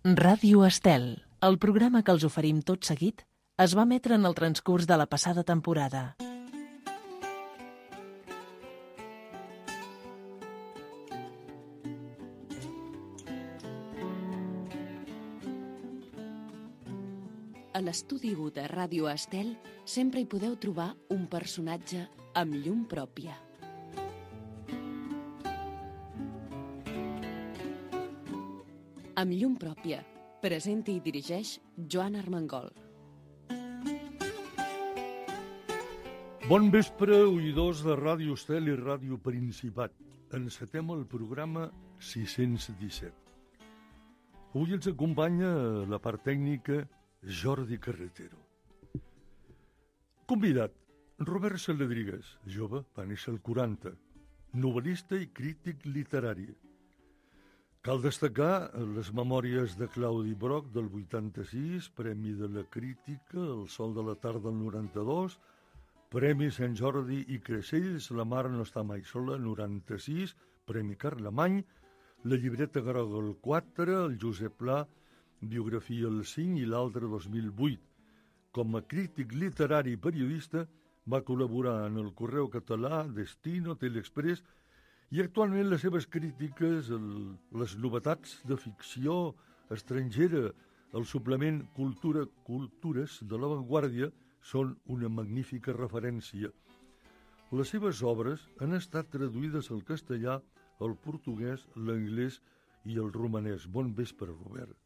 Ràdio Estel, el programa que els oferim tot seguit, es va emetre en el transcurs de la passada temporada. A l'estudi 1 de Ràdio Estel sempre hi podeu trobar un personatge amb llum pròpia. Amb llum pròpia, presenta i dirigeix Joan Armengol. Bon vespre, oïdors de Ràdio Estel i Ràdio Principat. Encetem el programa 617. Avui ens acompanya la part tècnica Jordi Carretero. Convidat, Robert Saladrigues, jove, va néixer al 40, novel·lista i crític literari. Cal destacar les memòries de Claudi Broch del 86, Premi de la Crítica, El Sol de la Tarda del 92, Premi Sant Jordi i Creixells, La Mar no està mai sola, 96, Premi Carlemany, La llibreta groga el 4, el Josep Pla, Biografia el 5 i l'altre 2008. Com a crític literari i periodista va col·laborar en el Correu Català, Destino, Teleexpress, i actualment les seves crítiques, les novetats de ficció estrangera, el suplement Cultures de l'Avantguàrdia són una magnífica referència. Les seves obres han estat traduïdes al castellà, al portuguès, l'anglès i el romanès. Bon vespre, Robert.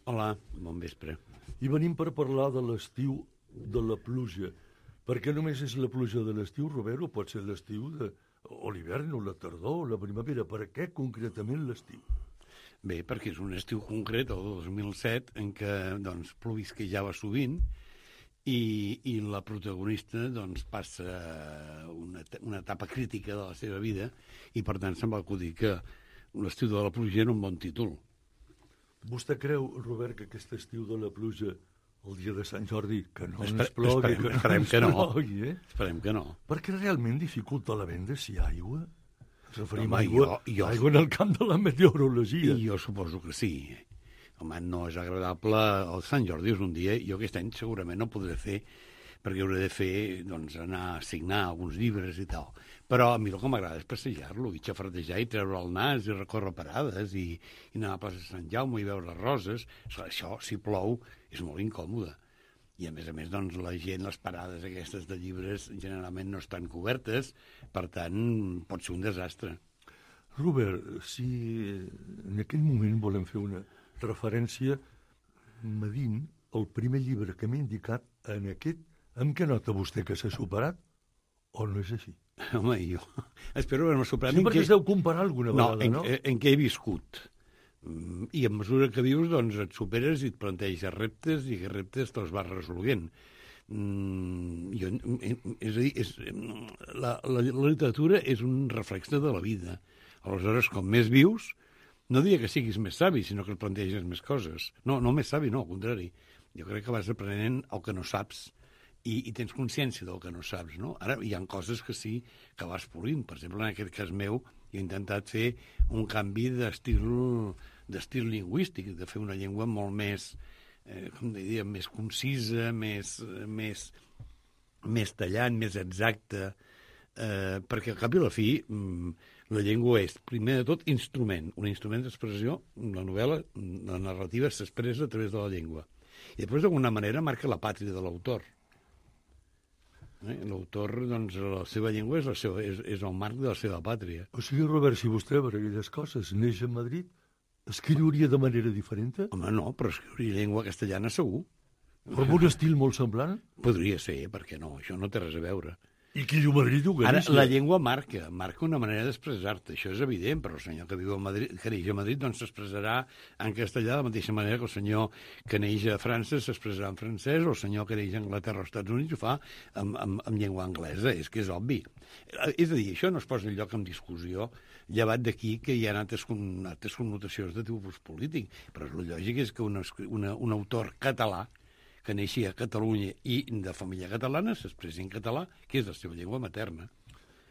Hola, bon vespre. I venim per parlar de l'estiu de la pluja. Per què només és la pluja de l'estiu, Robert, o pot ser l'estiu o l'hivern, o la tardor, o la primavera? Per què concretament l'estiu? Bé, perquè és un estiu concret, el 2007, en què plovisquejava sovint i la protagonista passa una etapa crítica de la seva vida i, per tant, se'm va acudir que l'estiu de la pluja era un bon títol. Vostè creu, Robert, que aquest estiu de la pluja, el dia de Sant Jordi, que no ens plogui, esperem que no. Esperem que no. Perquè realment dificulta la venda si hi ha aigua? Ens referim a aigua en el camp de la meteorologia. Jo suposo que sí. Home, no és agradable. El Sant Jordi és un dia, jo aquest any segurament no podré fer, perquè hauré de fer, anar a signar alguns llibres i tal. Però a mi el que m'agrada és passejar-lo, i xafardejar, i treure el nas, i recórrer parades, i anar a la plaça de Sant Jaume i veure roses. Això, si plou, és molt incòmode. I, a més, la gent, les parades aquestes de llibres, generalment no estan cobertes, per tant, pot ser un desastre. Robert, si en aquell moment volem fer una referència, medint el primer llibre que m'ha indicat en aquest, amb què nota vostè que s'ha superat, o no és així? Home, jo espero haver-me superat. Sí, perquè es deu comparar alguna vegada, no? En què he viscut. I a mesura que vius, et superes i et planteges reptes, i aquests reptes te'ls vas resolent. És a dir, la literatura és un reflex de la vida. Aleshores, com més vius, no diria que siguis més savi, sinó que et planteges més coses. No més savi, no, al contrari. Jo crec que vas aprenent el que no saps i tens consciència del que no saps, no? Ara hi ha coses que sí que vas polint. Per exemple, en aquest cas meu, he intentat fer un canvi d'estil lingüístic, de fer una llengua molt més, més concisa, més tallant, més exacta, perquè al cap i a la fi la llengua és, primer de tot, instrument, un instrument d'expressió. La novel·la, la narrativa s'expressa a través de la llengua. I després, d'alguna manera, marca la pàtria de l'autor. L'autor, la seva llengua és el marc de la seva pàtria. O sigui, Robert, si vostè, per aquelles coses, neix a Madrid, escriuria de manera diferent? Home, no, però escriuria llengua castellana segur. Però amb un estil molt semblant? Podria ser, perquè no, això no té res a veure. I qui diu Madrid, diu Galícia. Ara, la llengua marca una manera d'expressar-te, això és evident, però el senyor que viu a Madrid, que neix a Madrid, s'expressarà en castellà de la mateixa manera que el senyor que neix a França s'expressarà en francès, o el senyor que neix a Anglaterra o als Estats Units ho fa amb llengua anglesa, és que és obvi. És a dir, això no es posa enlloc en discussió, llevat d'aquí que hi ha altres connotacions de tipus polític, però el lògic és que un autor català que neixia a Catalunya i de família catalana s'expressi en català, que és la seva llengua materna.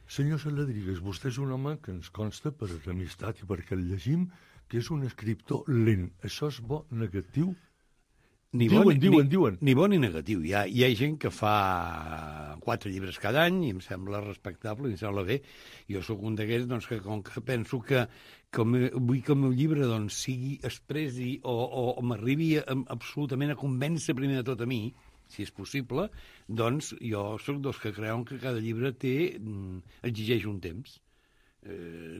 Senyor Saladrigues, vostè és un home que ens consta per amistat i perquè el llegim, que és un escriptor lent. Això és bo, negatiu? Diuen. Ni bo ni negatiu. Hi ha gent que fa 4 llibres cada any i em sembla respectable i em sembla bé. Jo sóc un d'aquells doncs, que com que penso que vull que el meu llibre doncs, sigui expressi o m'arribi absolutament a convèncer primer de tot a mi, si és possible, doncs jo sóc dels que creuen que cada llibre exigeix un temps.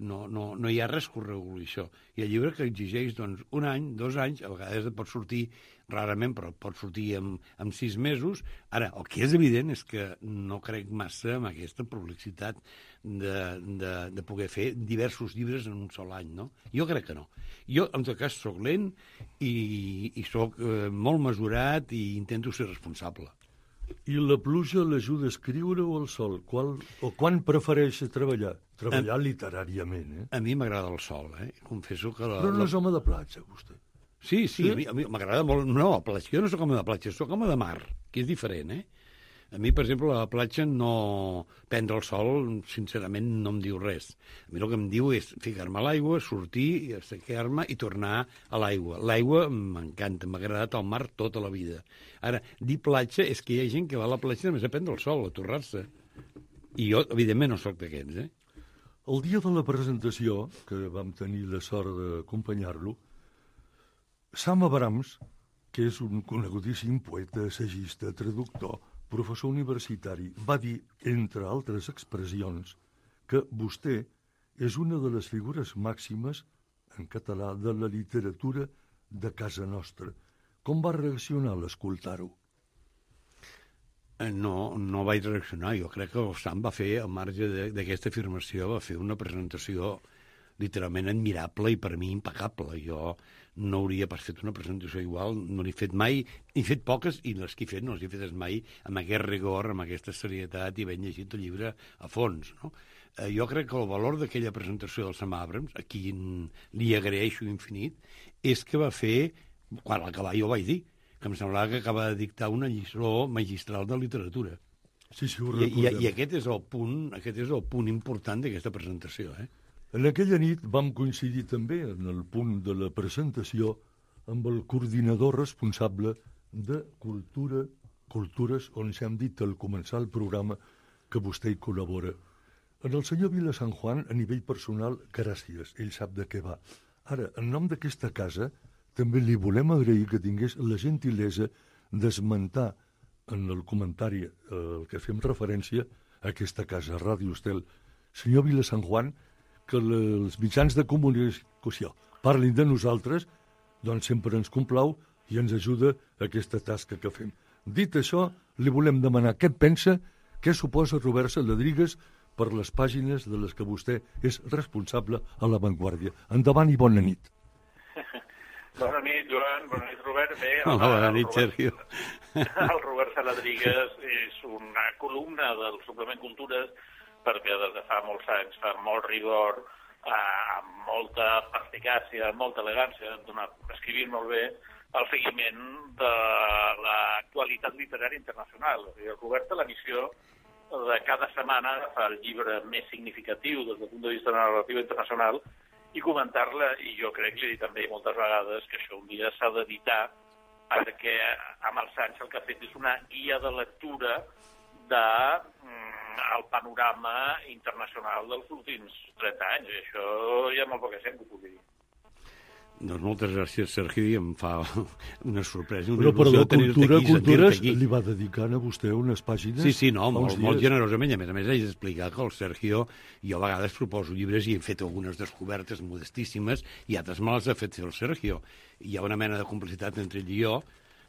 No hi ha res que ho reguli això. Hi ha llibre que exigeix doncs, 1 any, 2 anys, a vegades pot sortir rarament, però pot sortir en 6 mesos. Ara, el que és evident és que no crec massa en aquesta prolixitat de poder fer diversos llibres en un sol any, no? Jo crec que no. Jo, en tot cas, sóc lent i sóc molt mesurat i intento ser responsable. I la pluja l'ajuda a escriure o el sol? Quan prefereix treballar? Treballar literàriament, eh? A mi m'agrada el sol, Confesso que... Però no és home de platja, vostè. Sí, a mi m'agrada molt... No, a platja. Jo no sóc home de platja, sóc home de mar, que és diferent, A mi, per exemple, a la platja no... Prendre el sol, sincerament, no em diu res. A mi el que em diu és ficar-me a l'aigua, sortir, assecar-me i tornar a l'aigua. L'aigua m'encanta, m'ha agradat al mar tota la vida. Ara, dir platja és que hi ha gent que va a la platja només a prendre el sol, a torrar-se. I jo, evidentment, no sóc d'aquests, El dia de la presentació, que vam tenir la sort d'acompanyar-lo, Sam Abrams, que és un conegudíssim poeta, assagista, traductor, professor universitari, va dir, entre altres expressions, que vostè és una de les figures màximes, en català, de la literatura de casa nostra. Com va reaccionar a l'escoltar-ho? No vaig reaccionar. Jo crec que el Sam va fer, al marge d'aquesta afirmació, va fer una presentació literalment admirable i per mi impecable. Jo no hauria pas fet una presentació igual, no l'he fet mai, he fet poques i les que he fet no les he fetes mai amb aquest rigor, amb aquesta serietat i ben llegit el llibre a fons, no? Jo crec que el valor d'aquella presentació del Sam Abrams, a qui li agraeixo infinit, és que va fer, quan a l'acabar jo vaig dir, que em semblava que acaba de dictar una lliçó magistral de literatura. Sí, ho recordem. I aquest és el punt important d'aquesta presentació, En aquella nit vam coincidir també en el punt de la presentació amb el coordinador responsable de Cultures, on s'hem dit al començar el programa que vostè hi col·labora. En el senyor Vila San Juan, a nivell personal, gràcies, ell sap de què va. Ara, en nom d'aquesta casa, també li volem agrair que tingués la gentilesa d'esmentar en el comentari al que fem referència a aquesta casa, Ràdio Estel. Senyor Vila San Juan, que els mitjans de comunicació parlin de nosaltres, doncs sempre ens complau i ens ajuda a aquesta tasca que fem. Dit això, li volem demanar què pensa, què suposa Robert Saladrigas per les pàgines de les que vostè és responsable a La Vanguardia. Endavant i bona nit. Bona nit, Joan. Bona nit, Robert. Bé, bona nit, Sergio. El Robert Saladrigas és una columna del suplement Cultures perquè des de fa molts anys fa molt rigor, amb molta perspicàcia, molta elegància, escrivint molt bé, el seguiment de l'actualitat literària internacional. El Robert té la missió de cada setmana agafar el llibre més significatiu des del punt de vista de la narrativa internacional i comentar-la, i jo crec, li he dit també moltes vegades, que això un dia s'ha d'editar, perquè amb els anys el que ha fet és una guia de lectura del panorama internacional dels últims 30 anys, i això hi ha molt poca gent que ho pugui dir. Doncs moltes gràcies, Sergi, em fa una sorpresa, una il·lusió tenir-te aquí, sentir-te Cultures aquí. li va dedicant a vostè unes pàgines. Sí, molt generosament, i a més haig d'explicar que el Sergio, jo a vegades proposo llibres i he fet algunes descobertes modestíssimes i altres me les ha fet el Sergio. Hi ha una mena de complicitat entre ell i jo,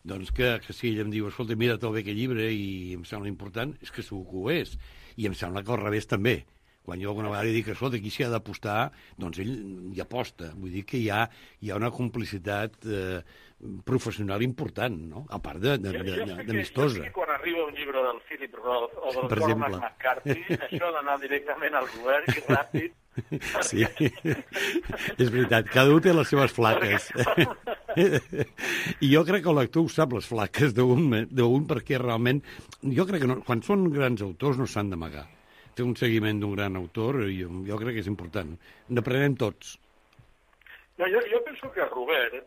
doncs que si ell em diu, escolta, mira tot bé aquest llibre i em sembla important, és que segur que ho és. I em sembla que al revés també. Quan jo alguna vegada li dic, escolta, aquí s'hi ha d'apostar, doncs ell hi aposta. Vull dir que hi ha una complicitat professional important, no? A part d'amistosa. Quan arriba un llibre del Philip Roth o del Cormac McCarthy, això ha d'anar directament al Robert i ràpid. Sí, és veritat, cada un té les seves flaques. I jo crec que el lector ho sap, les flaques d'un perquè realment... Jo crec que quan són grans autors no s'han d'amagar. Fer un seguiment d'un gran autor, jo crec que és important. N'aprenem tots. No, jo penso que Robert,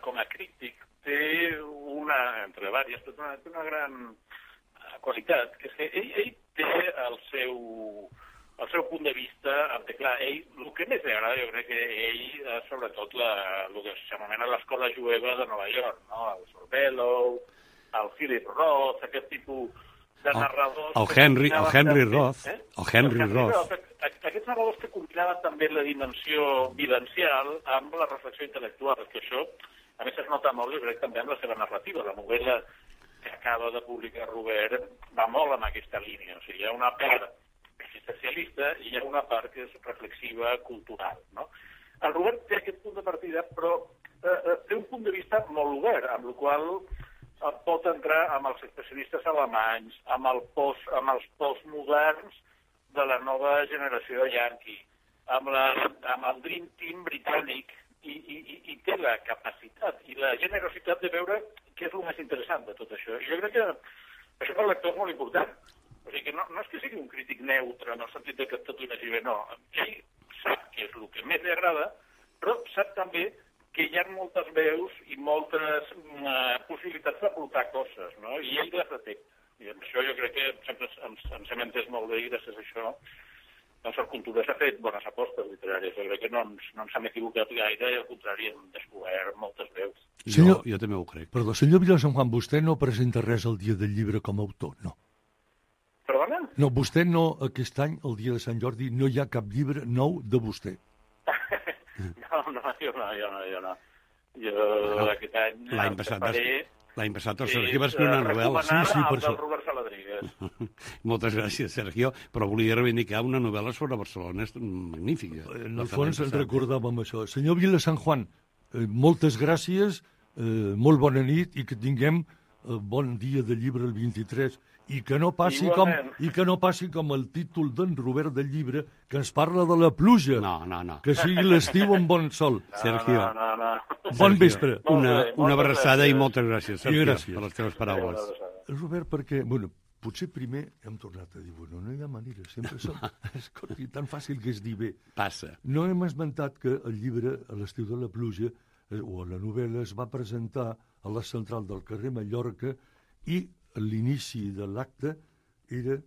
com a crític, té entre vàries, té una gran qualitat, que és que ell té el seu punt de vista, clar, ell, el que més li agrada, jo crec que ell, sobretot, el que s'anomena l'escola jueva de Nova York, no? El Sorvello, el Philip Roth, aquest tipus de narradors... El Henry Roth. Aquests narradors que combinaven també la dimensió vivencial amb la reflexió intel·lectual, que això, a més, es nota molt, jo crec, també amb la seva narrativa. La novel·la que acaba de publicar Robert va molt en aquesta línia. O sigui, hi ha una part existencialista i hi ha una part que és reflexiva, cultural, no? El Robert té aquest punt de partida, però té un punt de vista molt obert, amb el qual pot entrar amb els especialistes alemanys, amb els postmoderns de la nova generació yankee, amb el Dream Team britànic, i té la capacitat i la generositat de veure què és el més interessant de tot això. I jo crec que això per al lector és molt important. O sigui que no és que sigui un crític neutre en el sentit que tot ho vegi bé, no. Ell sap què és el que més li agrada, però sap també que hi ha moltes veus i moltes possibilitats d'aportar coses, no? I ell les detecta. I amb això jo crec que sempre ens hem entès molt bé i gràcies a això doncs el Cultura s'ha fet bones apostes literàries. Jo crec que no ens hem equivocat gaire i al contrari hem descobert moltes veus. Jo també ho crec. Perdó, senyor Vilasanjuan, vostè no presenta res el dia del llibre com a autor, no? Perdona? No, vostè no, aquest any, el dia de Sant Jordi, no hi ha cap llibre nou de vostè. No, jo no. Jo aquest any... L'any passat el Sergio va escriure una novel·la. Sí, per això. Robert Saladrigas. Moltes gràcies, Sergio, però volia reivindicar una novel·la sobre Barcelona magnífica. En el fons ens recordàvem això. Senyor Vilasanjuan, moltes gràcies, molt bona nit i que tinguem bon dia de llibre el 23 i que no passi com el títol d'en Robert del llibre que ens parla de la pluja. No. Que sigui l'estiu amb bon sol. Sergio. No. Bon vespre. Una abraçada i moltes gràcies, Sergio, per les teves paraules. Robert, perquè, potser primer hem tornat a dir, no hi ha manera, sempre som... Escolti, tan fàcil que és dir bé. Passa. No hem esmentat que el llibre, a l'estiu de la pluja, o la novel·la, es va presentar a la central del carrer Mallorca i l'inici de l'acte era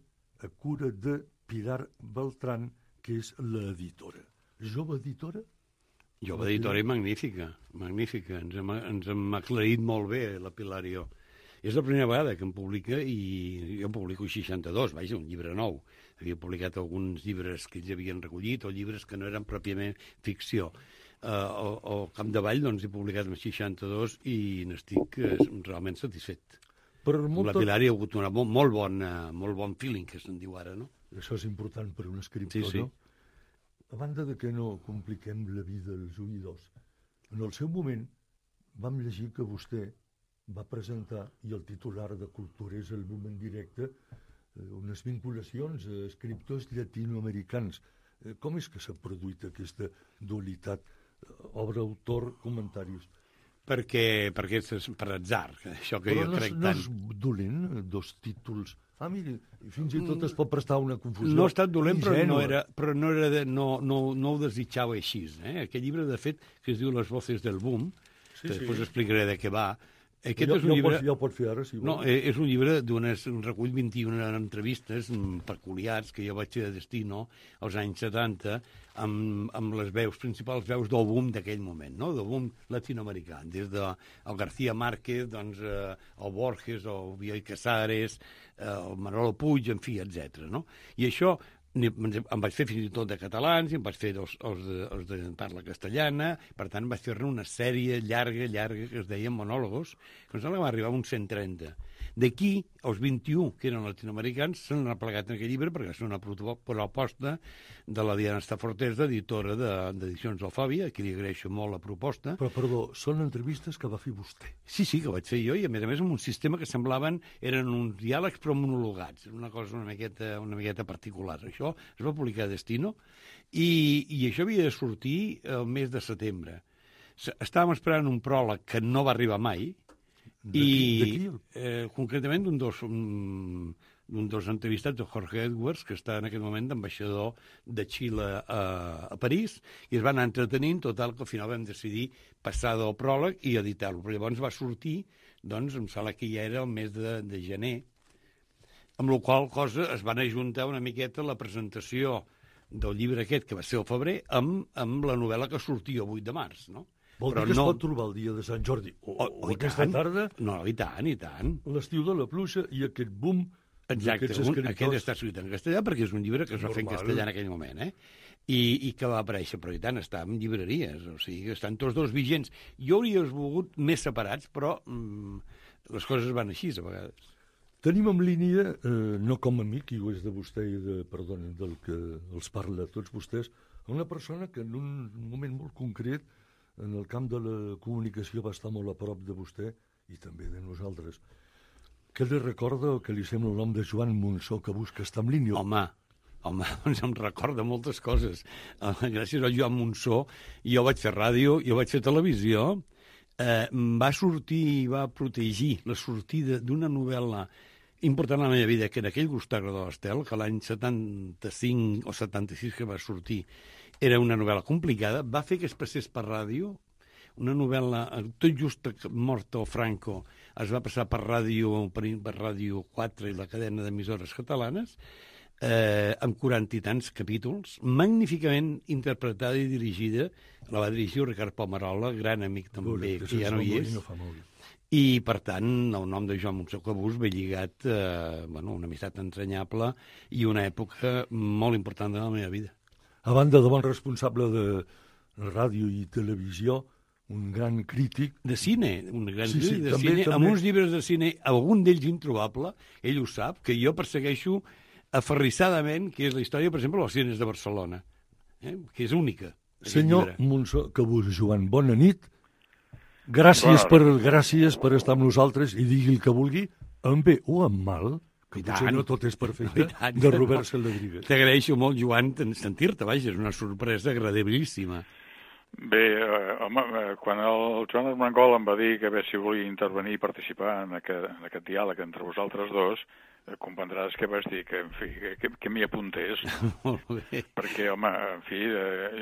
a cura de Pilar Beltrán, que és l'editora. Jove editora? Jove editora i magnífica. Ens hem aclarit molt bé, la Pilar i jo. És la primera vegada que em publica i jo publico 62, vaja, un llibre nou. Havia publicat alguns llibres que ells havien recollit o llibres que no eren pròpiament ficció. Al Capdavall doncs, he publicat amb 62 i n'estic realment satisfet. La Pilar hi ha hagut un molt bon feeling, que se'n diu ara, no? Això és important per un escriptor, sí. No? A banda de que no compliquem la vida als oïdors, en el seu moment vam llegir que vostè va presentar, i el titular de Cultura és el boom en directe, unes vinculacions a escriptors llatinoamericans. Com és que s'ha produït aquesta dualitat? Obra, autor, comentaris. Perquè és per atzar, això que jo crec tant. Però no és dolent, dos títols. Miri, fins i tot es pot prestar una confusió. No ha estat dolent, però no ho desitjava així. Aquest llibre, de fet, que es diu Les voces del boom, que després explicaré de què va. Aquest és un llibre... Ja ho pot fer ara, si vol. No, és un llibre un recull 21 entrevistes peculiars que jo vaig fer de Destino als anys 70 amb les principals veus del boom d'aquell moment, no? Del boom latinoamericà, des del García Márquez, doncs, el Borges, el Bioy Casares, el Manolo Puig, en fi, etc. No? I això em vaig fer fins i tot de catalans i em vaig fer els de parla castellana, per tant vaig fer-ne una sèrie llarga que es deia monòlogos, que em sembla que va arribar a uns 130. D'aquí, els 21 que eren latinoamericans s'han replegat en aquest llibre perquè és una proposta de la Diana Stafortes, editora d'Edicions Alfàbia, que li agraeixo molt la proposta. Però, perdó, són entrevistes que va fer vostè. Sí, que ho vaig fer jo, i a més amb un sistema que eren uns diàlegs però monologats, una cosa una miqueta particular. Això es va publicar a Destino i això havia de sortir el mes de setembre. Estàvem esperant un pròleg que no va arribar mai, i concretament d'un dels entrevistats, de Jorge Edwards, que està en aquest moment d'ambaixador de Xile a París, i es van anar entretenint, total, que al final vam decidir passar del pròleg i editar-lo. Però llavors va sortir, doncs, em sembla que ja era el mes de gener, amb la qual cosa es van ajuntar una miqueta la presentació del llibre aquest, que va ser el febrer, amb la novel·la que sortia el 8 de març, no? Vol dir que es pot trobar el dia de Sant Jordi o aquesta tarda? No, i tant, i tant. L'estiu de la pluja i aquest boom. Exacte, aquest està escrit en castellà perquè és un llibre que es va fer en castellà en aquell moment, i que va aparèixer, però i tant, està en llibreries, o sigui que estan tots dos vigents. Jo hauria volgut més separats, però les coses van així a vegades. Tenim en línia, no com a amic, i ho és de vostè i del que els parla a tots vostès, una persona que en un moment molt concret en el camp de la comunicació va estar molt a prop de vostè i també de nosaltres. Què li recorda o què li sembla el nom de Joan Monsó, que busca estar en línia? Home, doncs em recorda moltes coses. Gràcies al Joan Monsó, jo vaig fer ràdio, jo vaig fer televisió, va sortir i va protegir la sortida d'una novel·la important a la meva vida, que en aquell Gustavo de l'Estel, que l'any 75 o 76 que va sortir, era una novel·la complicada, va fer que es passés per ràdio, una novel·la, tot just mort el Franco, es va passar per Ràdio 4 i la cadena d'emissores catalanes, amb 40 i tants capítols, magníficament interpretada i dirigida. La va dirigir Ricard Pomarola, gran amic també, que ja no hi és. I, per tant, el nom de Joan Monsó Cabús ve lligat a una amistat entranyable i una època molt important de la meva vida. A banda de bon responsable de ràdio i televisió, un gran crític... De cine, un gran crític de cine, amb uns llibres de cine, algun d'ells introbable, ell ho sap, que jo persegueixo aferrissadament, que és la història, per exemple, dels cines de Barcelona, que és única. Senyor Monsó Cabús, Joan, bona nit. Gràcies per estar amb nosaltres i digui el que vulgui, amb bé o amb mal, que potser no tot és perfecte, de Robert Saladrigas. T'agraeixo molt, Joan, sentir-te, vaja, és una sorpresa agradabilíssima. Bé, home, quan el Joan Armengol em va dir que si volia intervenir i participar en aquest diàleg entre vosaltres dos, comprendràs que vaig dir que, en fi, que m'hi apuntés. Molt bé. Perquè, home, en fi,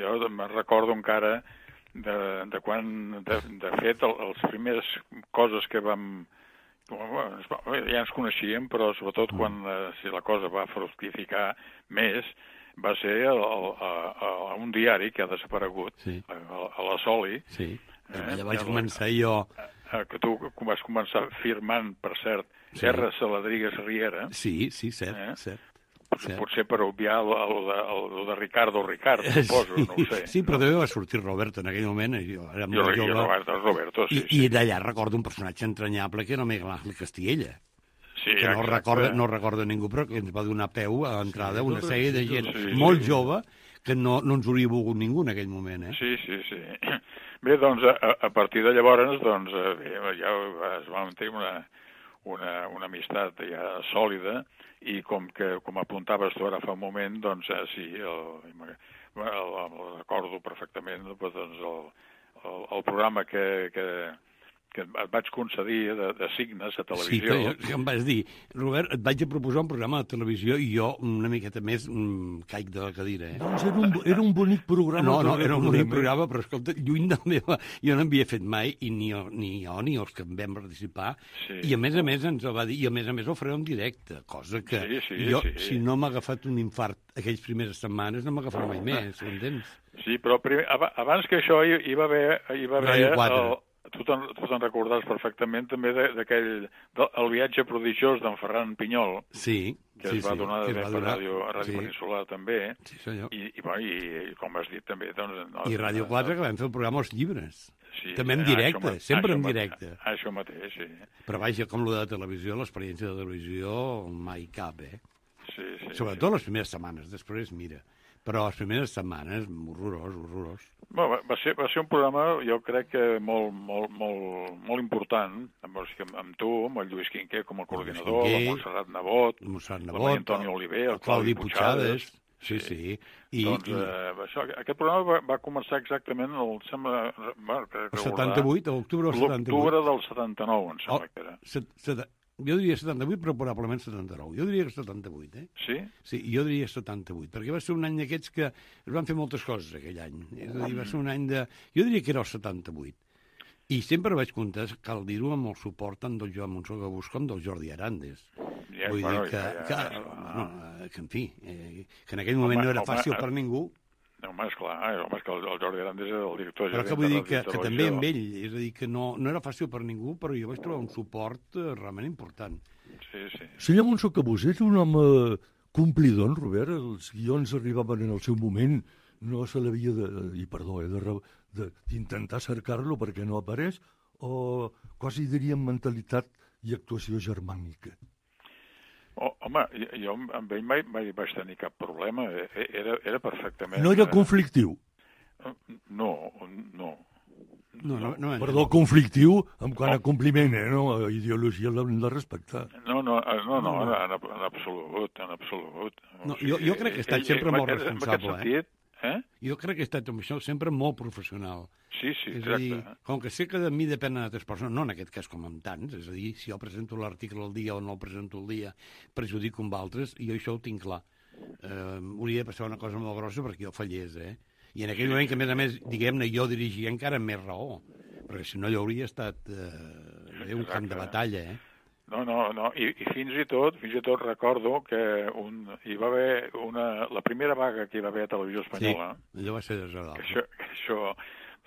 jo me'n recordo encara de quan, de fet, les primeres coses que vam... Ja ens coneixíem, però sobretot quan si la cosa va fructificar més, va ser a un diari que ha desaparegut, a la Soli. Sí, allà vaig començar jo. Que tu vas començar firmant, per cert, R. Saladrigas Riera. Sí, cert. Potser per obviar el de Ricardo, suposo, no ho sé. Sí, però també va sortir Roberto en aquell moment. Jo Roberto, sí. I d'allà recordo un personatge entranyable que era Miguel Ángel Castilla. Sí, que no recorda ningú, però que ens va donar peu a l'entrada una sèrie de gent molt jove que no ens hauria volgut ningú en aquell moment. Sí. Bé, doncs, a partir de llavors, doncs, ja es va mantenir una amistat ja sòlida i com apuntaves tu ara fa un moment, doncs, sí, el recordo perfectament, doncs, el programa que et vaig concedir de signes a televisió. Sí, que em vas dir, Robert, et vaig a proposar un programa de televisió i jo una miqueta més caic de la cadira. Doncs era un bonic programa. No, era un bonic programa, però escolta, lluny del meu... Jo no n'havia fet mai, i ni jo ni els que en vam participar, i a més ens el va dir, i a més ho faré en directe, cosa que jo, si no m'ha agafat un infart aquells primeres setmanes, no m'agafarà mai més, ho entens? Sí, però abans que això hi va haver Ràdio 4. Tu te'n recordaràs perfectament també d'aquell el viatge prodigiós d'en Ferran Pinyol, que es va donar per Ràdio Peninsular també, i com has dit també... I Ràdio 4, que vam fer el programa Els Llibres, també en directe, sempre en directe. Això mateix, sí. Però vaja, com lo de la televisió, l'experiència de televisió mai cap, Sobretot les primeres setmanes, després mira... Però les primeres setmanes, horrorós. Va ser un programa, jo crec que molt important, amb tu, amb el Lluís Quinquer com a coordinador, amb Montserrat Nebot, amb Antoni Oliver, el Claudi Puigades. Sí. Doncs aquest programa va començar exactament el 78, a l'octubre del 78. L'octubre del 79, em sembla que era. Jo diria 78, però probablement 79. Jo diria que 78, Sí? Sí, jo diria 78, perquè va ser un any d'aquests que es van fer moltes coses aquell any. És a dir, va ser un any de... Jo diria que era el 78. I sempre vaig comptar, cal dir-ho, amb el suport tant del Joan Monsó Gabús com del Jordi Arandes. Ja, Vull dir que, en fi, que en aquell moment no era fàcil per ningú. No, home, esclar, és que el Jordi Arandes era el director. Però que vull dir que també amb ell, és a dir, que no era fàcil per ningú, però jo vaig trobar un suport realment important. Sí. Senyor Monsó Gabús, és un home complidor, Robert? Els guions arribaven en el seu moment, no se l'havia d'intentar cercar-lo perquè no apareix, o quasi diríem mentalitat i actuació germànica? Home, jo amb ell mai vaig tenir cap problema, era perfectament... No era conflictiu? No. Perdó, conflictiu en quant a compliment, no? A ideologia l'hem de respectar. No, en absolut. No, jo crec que ha estat sempre molt responsable, Jo crec que ha estat amb això sempre molt professional. Sí, és a dir, com que sé que de mi depenen altres persones, no en aquest cas com amb tants, és a dir, si jo presento l'article al dia o no el presento al dia, perjudico amb altres, i jo això ho tinc clar. Hauria de passar una cosa molt grossa perquè jo fallés, I en aquell moment que, a més, diguem-ne, jo dirigia encara amb més raó, perquè si no allò hauria estat un camp de batalla, No, i fins i tot recordo que hi va haver la primera vaga que hi va haver a Televisió Espanyola. Sí, allò va ser desagradable. Que això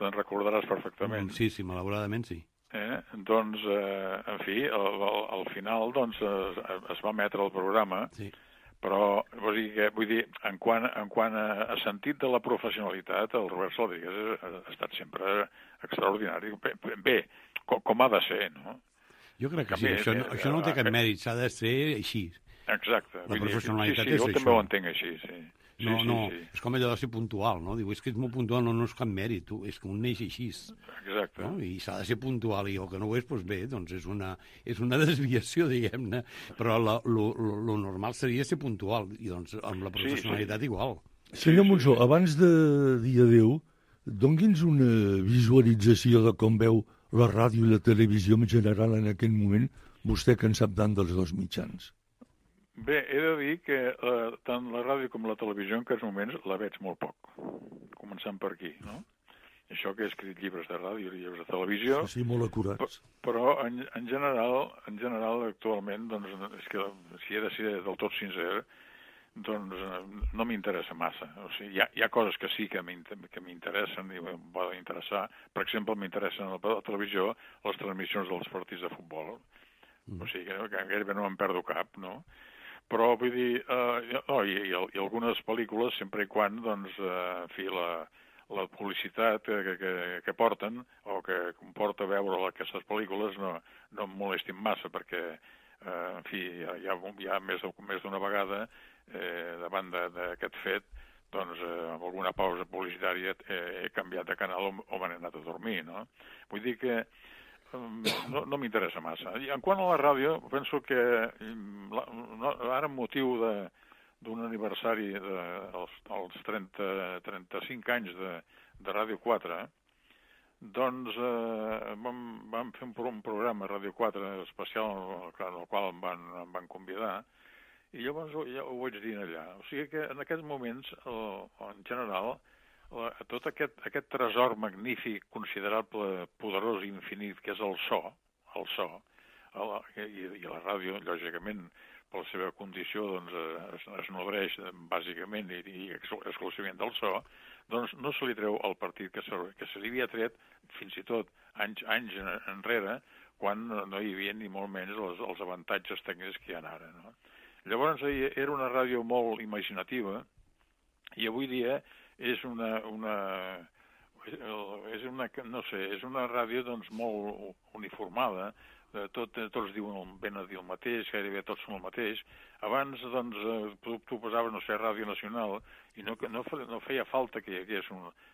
te'n recordaràs perfectament. Sí, malauradament sí. Doncs, en fi, al final doncs, es va emetre el programa, però vull dir, en quant a sentit de la professionalitat, el Robert Saladrigas ha estat sempre extraordinari. Bé, com ha de ser, no? Jo crec que sí, això no té cap mèrit, s'ha de ser així. Exacte. La professionalitat és això. això. Jo també ho entenc així, sí. No, és com allò de ser puntual, no? Diu, és que ets molt puntual, no és cap mèrit, és que un neix així. Exacte. No? I s'ha de ser puntual, i el que no ho és, doncs bé, doncs és una desviació, diguem-ne, però lo normal seria ser puntual, i doncs amb la professionalitat igual. Senyor Monsó, abans de dir adéu, doni'ns una visualització de com veu la ràdio i la televisió en general en aquest moment, vostè que en sap tant dels dos mitjans. Bé, he de dir que tant la ràdio com la televisió en aquests moments la veig molt poc, començant per aquí, no? Això que he escrit llibres de ràdio i llibres de televisió... Sí, molt acurats. Però en general actualment, doncs, és que si he de ser del tot sincer, doncs no m'interessa massa. O sigui, hi ha coses que sí que m'interessen i em poden interessar. Per exemple, m'interessen a la televisió les transmissions dels partits de futbol. O sigui, que gairebé no me'n perdo cap, no? Però, vull dir, i algunes pel·lícules, sempre i quan, doncs, en fi, la publicitat que porten o que comporta veure aquestes pel·lícules no em molestin massa, perquè, en fi, hi ha més d'una vegada, davant d'aquest fet, doncs, amb alguna pausa publicitària he canviat de canal o me n'he anat a dormir, no? Vull dir que no m'interessa massa. I en quant a la ràdio, penso que ara amb motiu d'un aniversari dels 35 anys de Ràdio 4, doncs vam fer un programa a Ràdio 4 especial en el qual em van convidar, i llavors ja ho vaig dir allà. O sigui que en aquests moments, en general, tot aquest tresor magnífic, considerable, poderós i infinit, que és el so, i la ràdio, lògicament, per la seva condició, doncs, es nodreix bàsicament i exclusivament del so, doncs no se li treu el partit que se li havia tret fins i tot anys enrere, quan no hi havia ni molt menys els avantatges tècnics que hi ha ara, no? Llavors era una ràdio molt imaginativa i avui dia és una ràdio doncs molt uniformada, tots diuen ben a dir el mateix, gairebé tots són el mateix. Abans, doncs, tu posaves, no sé, Ràdio Nacional, i no feia falta que hi hagués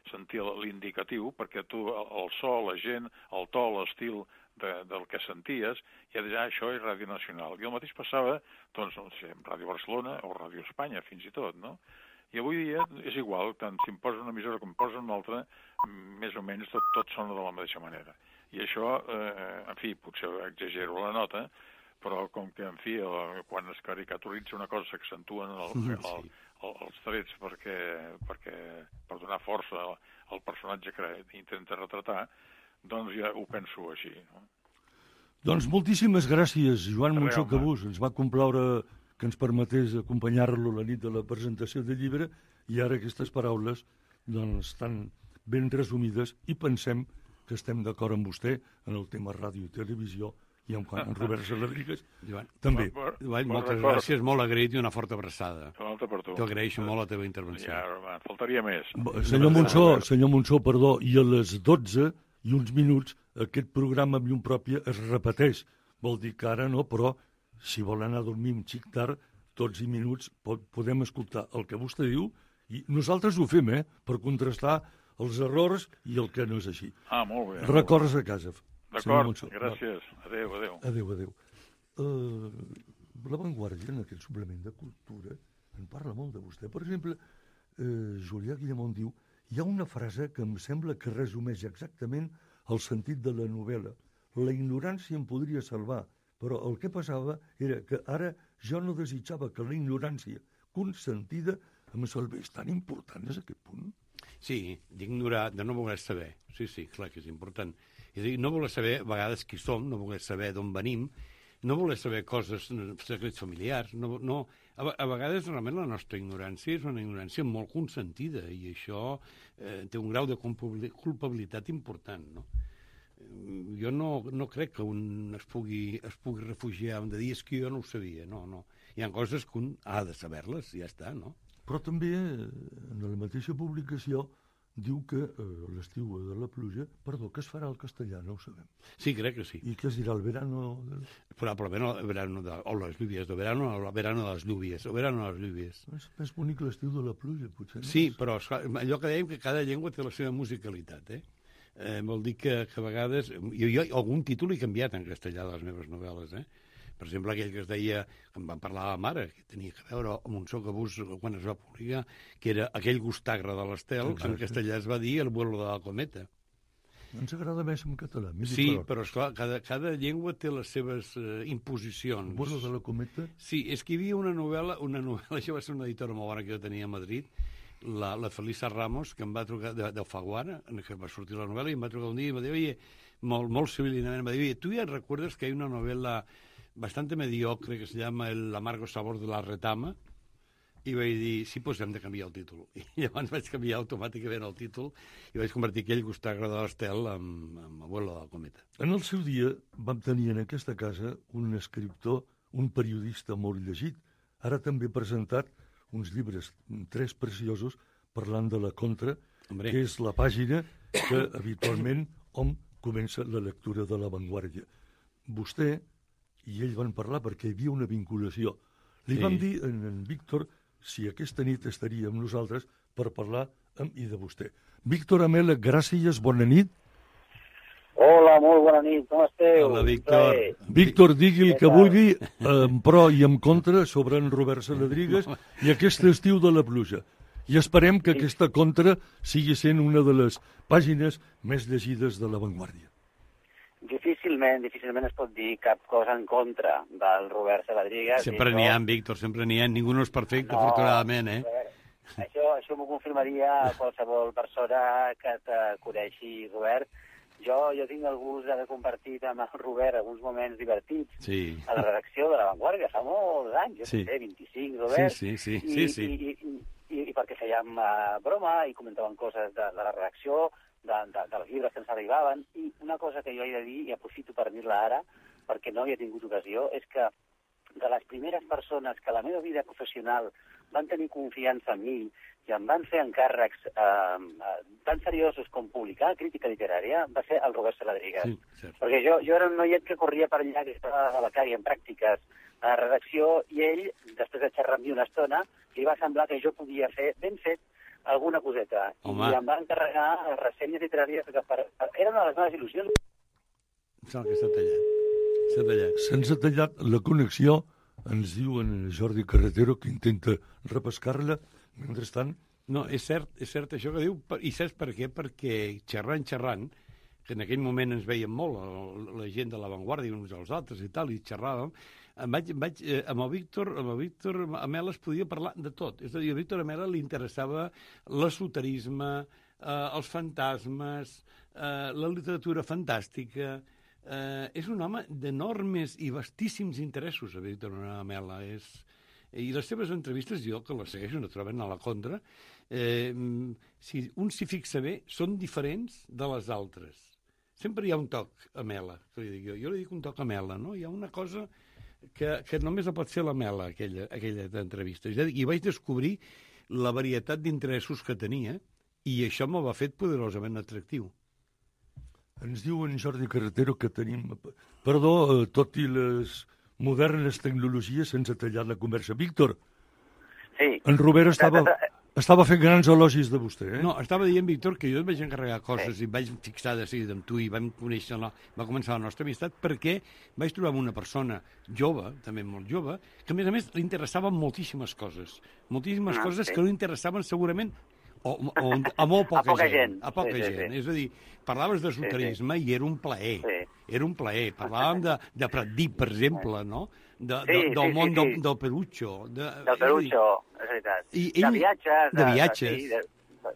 sentir l'indicatiu, perquè tu, el so, la gent, el to, l'estil del que senties, ja deies, això és Ràdio Nacional. I el mateix passava, doncs, no sé, amb Ràdio Barcelona o Ràdio Espanya, fins i tot, no? I avui dia és igual, tant si em posa una emissora com em posa una altra, més o menys tot sona de la mateixa manera. I això, en fi, potser exagero la nota, però com que, en fi, quan es caricaturitza una cosa s'accentuen els trets per donar força al personatge que intenta retratar, doncs ja ho penso així. No? Doncs moltíssimes gràcies, Joan Monsó Cabús. Ens va complaure que ens permetés acompanyar-lo la nit de la presentació del llibre i ara aquestes paraules doncs, estan ben resumides i pensem que estem d'acord amb vostè en el tema ràdio i televisió i en quant a Robert Saladrigas també. Joan, moltes gràcies, molt agraït i una forta abraçada. Per tu. T'agraeixo molt la teva intervenció. Ja, faltaria més. Senyor Monsó, perdó, i a les 12 i uns minuts aquest programa amb llum pròpia es repeteix. Vol dir que ara no, però si vol anar a dormir un xic tard, tots i minuts podem escoltar el que vostè diu i nosaltres ho fem, per contrastar els errors i el que no és així. Molt bé. Records a casa. D'acord, gràcies. Adéu. Adéu. La Vanguardia, en aquest suplement de cultura, en parla molt de vostè. Per exemple, Julià Guillamont diu hi ha una frase que em sembla que resumeix exactament el sentit de la novel·la. La ignorància em podria salvar, però el que passava era que ara jo no desitjava que la ignorància consentida em salvés. Tan important és aquest punt? Sí, d'ignorar, de no voler saber. Sí, clar que és important. És a dir, no voler saber a vegades qui som, no voler saber d'on venim, no voler saber coses, secrets familiars. A vegades realment la nostra ignorància és una ignorància molt consentida i això té un grau de culpabilitat important, no? Jo no crec que un es pugui refugiar de dir que jo no ho sabia, no. Hi ha coses que un ha de saber-les i ja està, no? Però també en la mateixa publicació diu que l'estiu de la pluja, que es farà al castellà, no ho sabem. Sí, crec que sí. I què es dirà, el verano? Probablement el verano o les lluvias, el verano de les lluvias, o verano de les lluvias. És més bonic l'estiu de la pluja, potser. No? Sí, però allò que dèiem que cada llengua té la seva musicalitat, vol dir que a vegades... Jo algun títol he canviat en castellà de les meves novel·les, Per exemple, aquell que es deia, que em van parlar a la mare, que tenia que veure amb Monsó Cabús quan es va publicar, que era aquell gustagre de l'Estel, en castellà es va dir el vuelo de la cometa. Ens agrada més en català. Sí, però esclar, cada llengua té les seves imposicions. El vuelo de la cometa? Sí, és que hi havia una novel·la, això va ser una editora molt bona que jo tenia a Madrid, la Felisa Ramos, que em va trucar d'Alfaguara, que va sortir la novel·la, i em va trucar un dia i em va dir, oye, molt civilinament, em va dir, oye, ¿tú ya recuerdas que hay una novela bastante mediocre que se llama El amargo sabor de la retama? I vaig dir, sí, doncs hem de canviar el títol. I llavors vaig canviar automàticament el títol i vaig convertir aquell gustagre de l'Estel amb Abuelo de la cometa. En el seu dia vam tenir en aquesta casa un escriptor, un periodista molt llegit. Ara també ha presentat uns llibres, 3 preciosos, parlant de la Contra, que és la pàgina que habitualment hom comença la lectura de La Vanguardia. Vostè i ell van parlar perquè hi havia una vinculació. Li vam dir a en Víctor si aquesta nit estaria amb nosaltres per parlar amb i de vostè. Víctor Amela, gràcies, bona nit. Hola, molt bona nit, com esteu? Hola, Víctor. Víctor, digui el que vulgui, en pro i en contra, sobre en Robert Saladrigas i aquest estiu de la pluja. I esperem que aquesta contra sigui sent una de les pàgines més llegides de La Vanguardia. Difícilment es pot dir cap cosa en contra del Robert Saladrigas. Sempre n'hi ha, Víctor, sempre n'hi ha. Ningú no és perfecte, afortunadament, Això m'ho confirmaria qualsevol persona que te coneixi, Robert. Jo tinc el gust d'haver compartit amb el Robert alguns moments divertits a la redacció de La Vanguardia, fa molts anys, jo sé, 25, Robert. Sí. I perquè fèiem broma i comentàvem coses de la redacció, dels llibres que ens arribaven, i una cosa que jo he de dir, i aprofito per dir-la ara, perquè no havia tingut ocasió, és que de les primeres persones que a la meva vida professional van tenir confiança en mi i em van fer encàrrecs tan seriosos com publicar crítica literària, va ser el Robert Saladrigas. Perquè jo era un noiet que corria per allà, que estava a becari en pràctiques a la redacció, i ell, després de xerrar amb mi una estona, li va semblar que jo podia fer ben fet alguna coseta. Home. I em va encarregar ressenyes literàries que era una de les meves il·lusions. Sembla que s'ha tallat. Se'ns ha tallat la connexió, ens diu en Jordi Carretero, que intenta repescar-la. Mentrestant... No, és cert això que diu, i saps per què? Perquè xerrant, que en aquell moment ens veiem molt, la gent de l'avantguàrdia uns als altres i tal, i xerràvem, amb el Víctor Amela es podia parlar de tot. És a dir, a Víctor Amela li interessava l'esoterisme, els fantasmes, la literatura fantàstica. És un home d'enormes i vastíssims interessos, a Víctor Amela. I les seves entrevistes, jo, que les segueixo, no troben a la contra, si un s'hi fixa bé, són diferents de les altres. Sempre hi ha un toc Amela, que li dic jo. Jo li dic un toc Amela, no? Hi ha una cosa que només la pot fer l'Amela, aquella entrevista. I vaig descobrir la varietat d'interessos que tenia, i això m'ho va fet poderosament atractiu. Ens diu en Jordi Carretero que tenim... Perdó, tot i les modernes tecnologies sense tallar la conversa. Víctor, sí. En Robert estava fent grans elogis de vostè, eh? No, estava dient, Víctor, que jo et vaig encarregar coses i vaig fixar de seguida amb tu i vam conèixer va començar la nostra amistat perquè vaig trobar una persona jove, també molt jove, que a més li interessaven moltíssimes coses. Moltíssimes coses que no interessaven segurament a molt poca gent. A poca gent. És a dir, parlaves d'esoterisme i era un plaer. Era un plaer. Parlàvem de Pratdip, per exemple, no? Del món del Perucho. Del Perucho, és veritat. De viatges.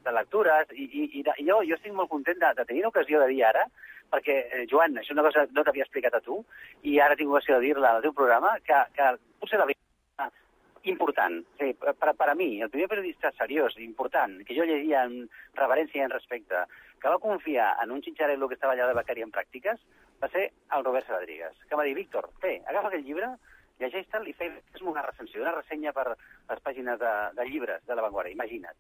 De lectures. I jo estic molt content de tenir l'ocasió de dir ara, perquè, Joan, això és una cosa no t'havia explicat a tu, i ara tinc l'ocasió de dir-la al teu programa, que potser la vida important. Sí, per a mi, el primer periodista seriós, important, que jo llegia en reverència i en respecte, que va confiar en un xinxarello que estava allà de becari en pràctiques, va ser el Robert Saladrigas, que va dir, Víctor, agafa aquell llibre, llegeix-te'l i fes una recensió, una ressenya per les pàgines de llibres de l'avantguàrdia, imagina't.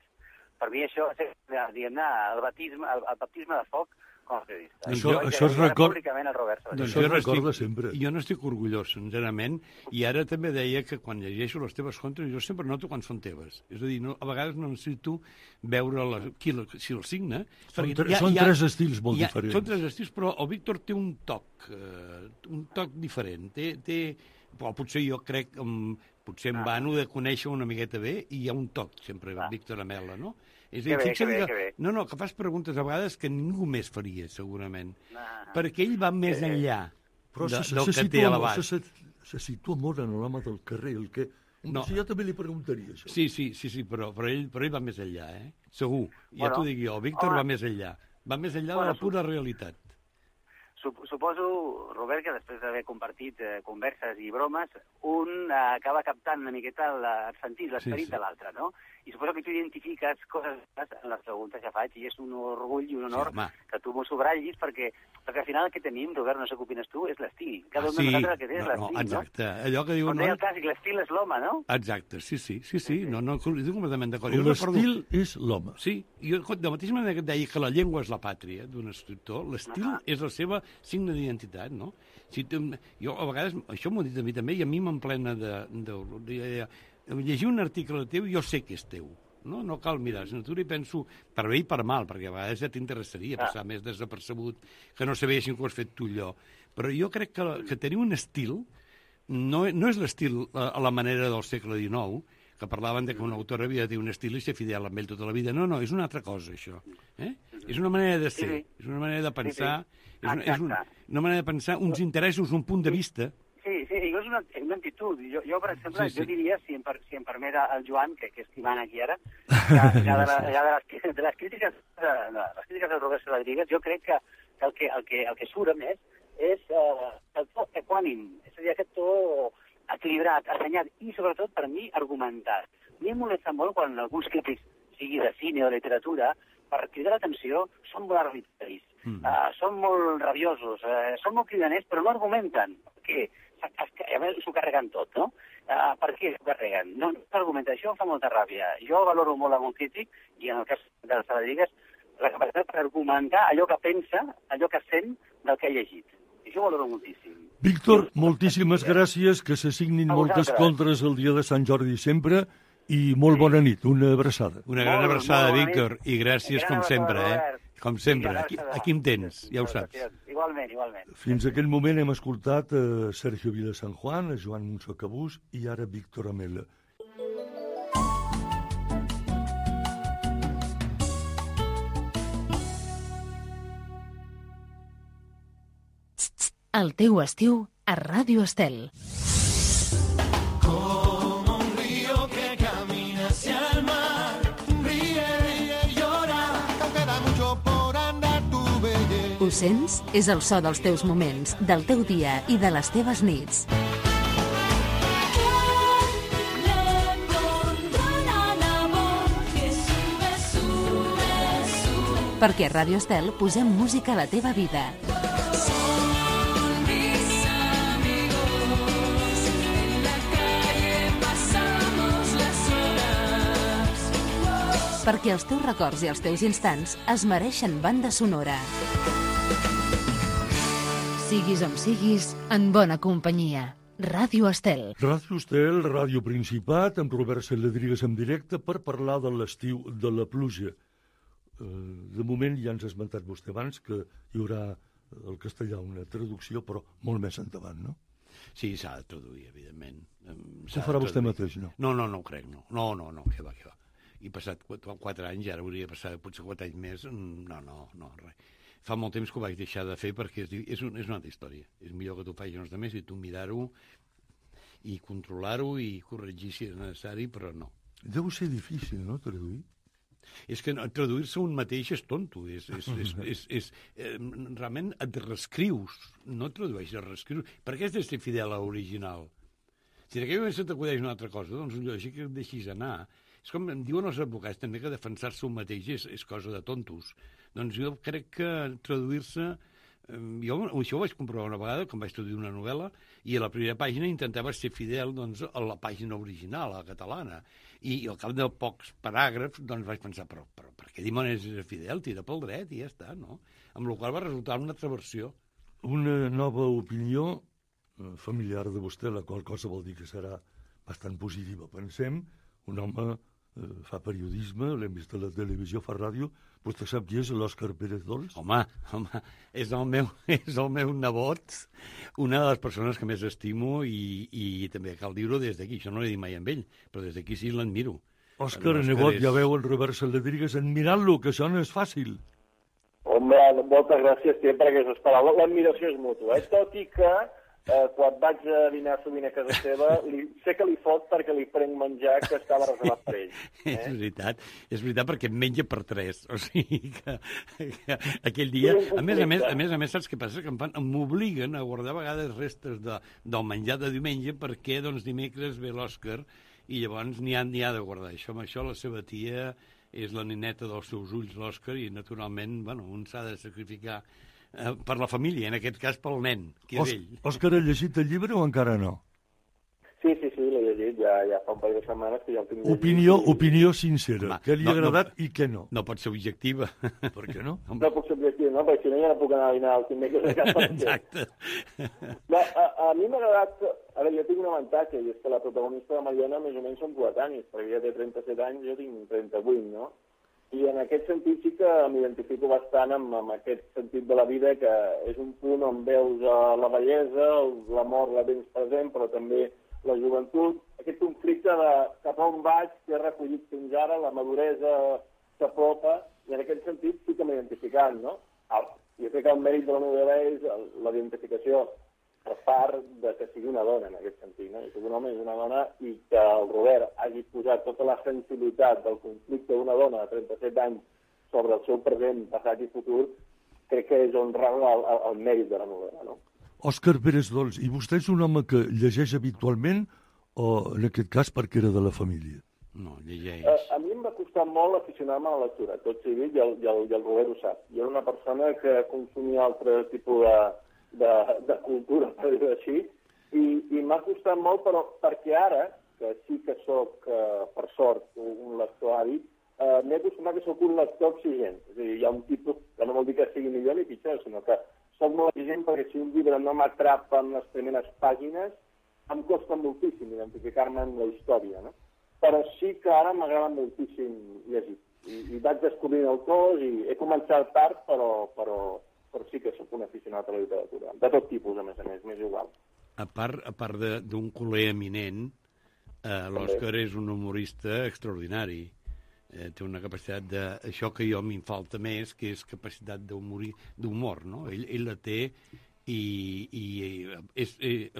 Per mi això és, diguem-ne, el baptisme de foc com a periodista. Això es recorda sempre. Jo no estic orgullós, sincerament, i ara també deia que quan llegeixo les teves contes jo sempre noto quan són teves. És a dir, a vegades no necessito veure si el signa. Són tres estils molt diferents. Són tres estils, però el Víctor té un toc diferent. Potser jo crec, potser em vano de conèixer una miqueta bé, i hi ha un toc sempre, Víctor Amela, no? És a dir, que fas preguntes a vegades que ningú més faria, segurament. Perquè ell va més enllà del que té a l'abast. Se situa molt en l'home del carrer, el que... Jo també li preguntaria això. Sí, però ell va més enllà, segur. Ja t'ho dic jo, el Víctor va més enllà. Va més enllà de la pura realitat. Suposo, Robert, que després d'haver compartit converses i bromes, un acaba captant una miqueta el sentit, l'esperit de l'altre, no? I suposo que tu identifiques coses en les preguntes que faig, i és un orgull i un honor que tu m'ho subratllis, perquè al final el que tenim, Robert, no sé què opines tu, és l'estil. Cada un de nosaltres el que té és l'estil, no? Exacte. Allò que diuen... Com deia el clàssic, l'estil és l'home, no? Exacte, sí. No, estic completament d'acord. L'estil és l'home. Sí, jo de la mateixa manera que et deia que la llengua és la pàtria d'un escriptor, l'estil és la seva signe d'identitat, no? Jo, a vegades, això m'ho he dit a mi també, i a mi m'emplena de llegir un article teu, jo sé que és teu. No cal mirar, sinó tu hi penso per bé i per mal, perquè a vegades ja t'interessaria passar més desapercebut, que no sabessin que ho has fet tu allò. Però jo crec que tenir un estil no és l'estil a la manera del segle XIX, que parlaven de que un autor havia de tenir un estil i ser fidel amb ell tota la vida. No, és una altra cosa, això. És una manera de ser, és una manera de pensar, és una manera de pensar uns interessos, un punt de vista. Sí, és una actitud. Jo, per exemple, jo diria, si em permet el Joan, que estimant aquí ara, que de les crítiques del Robert Saladrigas, jo crec que el que surt més és el to equànim, és a dir, aquest to equilibrat, assenyat i, sobretot, per mi, argumentat. A mi em molesta molt quan alguns crítics, sigui de cine o de literatura, per cridar l'atenció, són molt arbitraris, són molt rabiosos, són molt cridaners, però no argumenten. Perquè s'ho carreguen tot, no? Per què s'ho carreguen? No s'argumenta. Això em fa molta ràbia. Jo valoro molt amb un crític, i en el cas del Saladrigas, la capacitat per argumentar allò que pensa, allò que sent del que ha llegit. I això ho valoro moltíssim. Víctor, moltíssimes gràcies, que se signin moltes contres el dia de Sant Jordi sempre, i molt bona nit, una abraçada. Una gran abraçada, Víctor, i gràcies com sempre, Com sempre, aquí em tens, ja ho saps. Igualment. Fins aquell moment hem escoltat Sergio Vila San Juan, Joan Monzó Cabús i ara Víctor Amela. El teu estiu a Ràdio Estel. Como un río que camina hacia el mar, ríe, ríe, llora, que queda mucho por andar tu belleza. Ho sents? És el so dels teus moments, del teu dia i de les teves nits. Perquè a Ràdio Estel posem música a la teva vida. Perquè els teus records i els teus instants es mereixen banda sonora. Siguis on siguis, en bona companyia. Ràdio Estel. Ràdio Estel, Ràdio Principat, amb Robert Saladrigues en directe per parlar de l'estiu de la pluja. De moment ja ens ha esmentat vostè abans que hi haurà al castellà una traducció, però molt més endavant, no? Sí, s'ha de traduir, evidentment. Ho farà vostè mateix, no? No, ho crec, no. No, que va. He passat 4 anys, ara hauria de passar potser 4 anys més. No, res. Fa molt temps que ho vaig deixar de fer perquè és una altra història. És millor que t'ho facin els altres i tu mirar-ho i controlar-ho i corregir si és necessari, però no. Deu ser difícil, no, traduir? És que traduir-se un mateix és tonto. Realment et reescrius, no tradueixes, reescrius. Per què has de ser fidel a l'original? Si en aquell moment se t'acudeix una altra cosa, doncs lògic que et deixis anar. És com em diuen els advocats també que defensar-se un mateix és cosa de tontos. Doncs jo crec que traduir-se... Jo això ho vaig comprovar una vegada, quan vaig traduir una novel·la, i a la primera pàgina intentava ser fidel doncs, a la pàgina original, a la catalana. I al cap de pocs paràgrafs doncs, vaig pensar, però per què dimonis és fidel? Tira pel dret i ja està, no? Amb la qual va resultar una altra versió. Una nova opinió familiar de vostè, la qual cosa vol dir que serà bastant positiva. Pensem, un home fa periodisme, l'hem vist a la televisió, fa ràdio. Vostè sap qui és l'Òscar Pérez Dols? Home, és el meu nebot, una de les persones que més estimo i també cal dir-ho des d'aquí. Això no l'he dit mai amb ell, però des d'aquí sí l'admiro. Òscar, nebot, ja veu el Robert Saladrigues admirant-lo, que això no és fàcil. Home, moltes gràcies sempre per aquestes paraules. L'admiració és mútua, tot i que quan vaig a dinar sovint a casa seva, sé que li fot perquè li prenc menjar que estava reservat per ell. És veritat perquè em menja per 3, o sigui que aquell dia... A més, saps què passa? Que m'obliguen a guardar a vegades restes del menjar de diumenge perquè doncs dimecres ve l'Òscar i llavors n'hi ha de guardar. Això la seva tia és la nineta dels seus ulls, l'Òscar, i naturalment, un s'ha de sacrificar per la família, en aquest cas pel nen, que és ell. Òscar, ha llegit el llibre o encara no? Sí, l'he llegit, ja fa un parell de setmanes que ja el tinc llegit. Opinió sincera, què li ha agradat i què no? No pot ser objectiva. Per què no? No puc ser objectiva, no, perquè si no ja no puc anar a dinar al dimecres a casa. Exacte. No, a mi m'ha agradat... A veure, jo tinc un avantatge, i és que la protagonista de Mariona més o menys són coetanis, perquè ella té 37 anys, jo tinc 38, no? I en aquest sentit sí que m'identifico bastant amb aquest sentit de la vida, que és un punt on veus la bellesa, l'amor la tens present, però també la joventut, aquest conflicte de cap a on vaig, que he recollit fins ara, la maduresa s'apropa, i en aquest sentit sí que m'he identificat, no? Jo crec que el mèrit de la novel·la és la identificació per part de que sigui una dona, en aquest sentit, no? Que un home és una dona i que el Robert hagi posat tota la sensibilitat del conflicte d'una dona de 37 anys sobre el seu present, passat i futur, crec que és on rau el mèrit de la novel·la, no? Òscar Pérez Dols, i vostè és un home que llegeix habitualment o, en aquest cas, perquè era de la família? No, llegeix. A mi em va costar molt aficionar-me a la lectura, tot sigui dit, i el Robert ho sap. Jo era una persona que consumia altre tipus de cultura, per dir-ho així, i m'ha costat molt, però perquè ara, que sí que sóc, per sort, un lector àvid, m'he acostumat que sóc un lector exigent. És a dir, hi ha un tipus, que no vol dir que sigui millor ni pitjor, sinó que sóc molt exigent perquè si un llibre no m'atrapa en les primeres pàgines, em costa moltíssim identificar-me en la història, no? Però sí que ara m'agrada moltíssim llegir. I vaig descobrint autors i he començat tard, però sí que sóc un aficionat a la literatura. De tot tipus, a més, m'és igual. A part d'un culer eminent, l'Òscar és un humorista extraordinari. Té una capacitat això que jo m'hi falta més, que és capacitat d'humor, no? Ell la té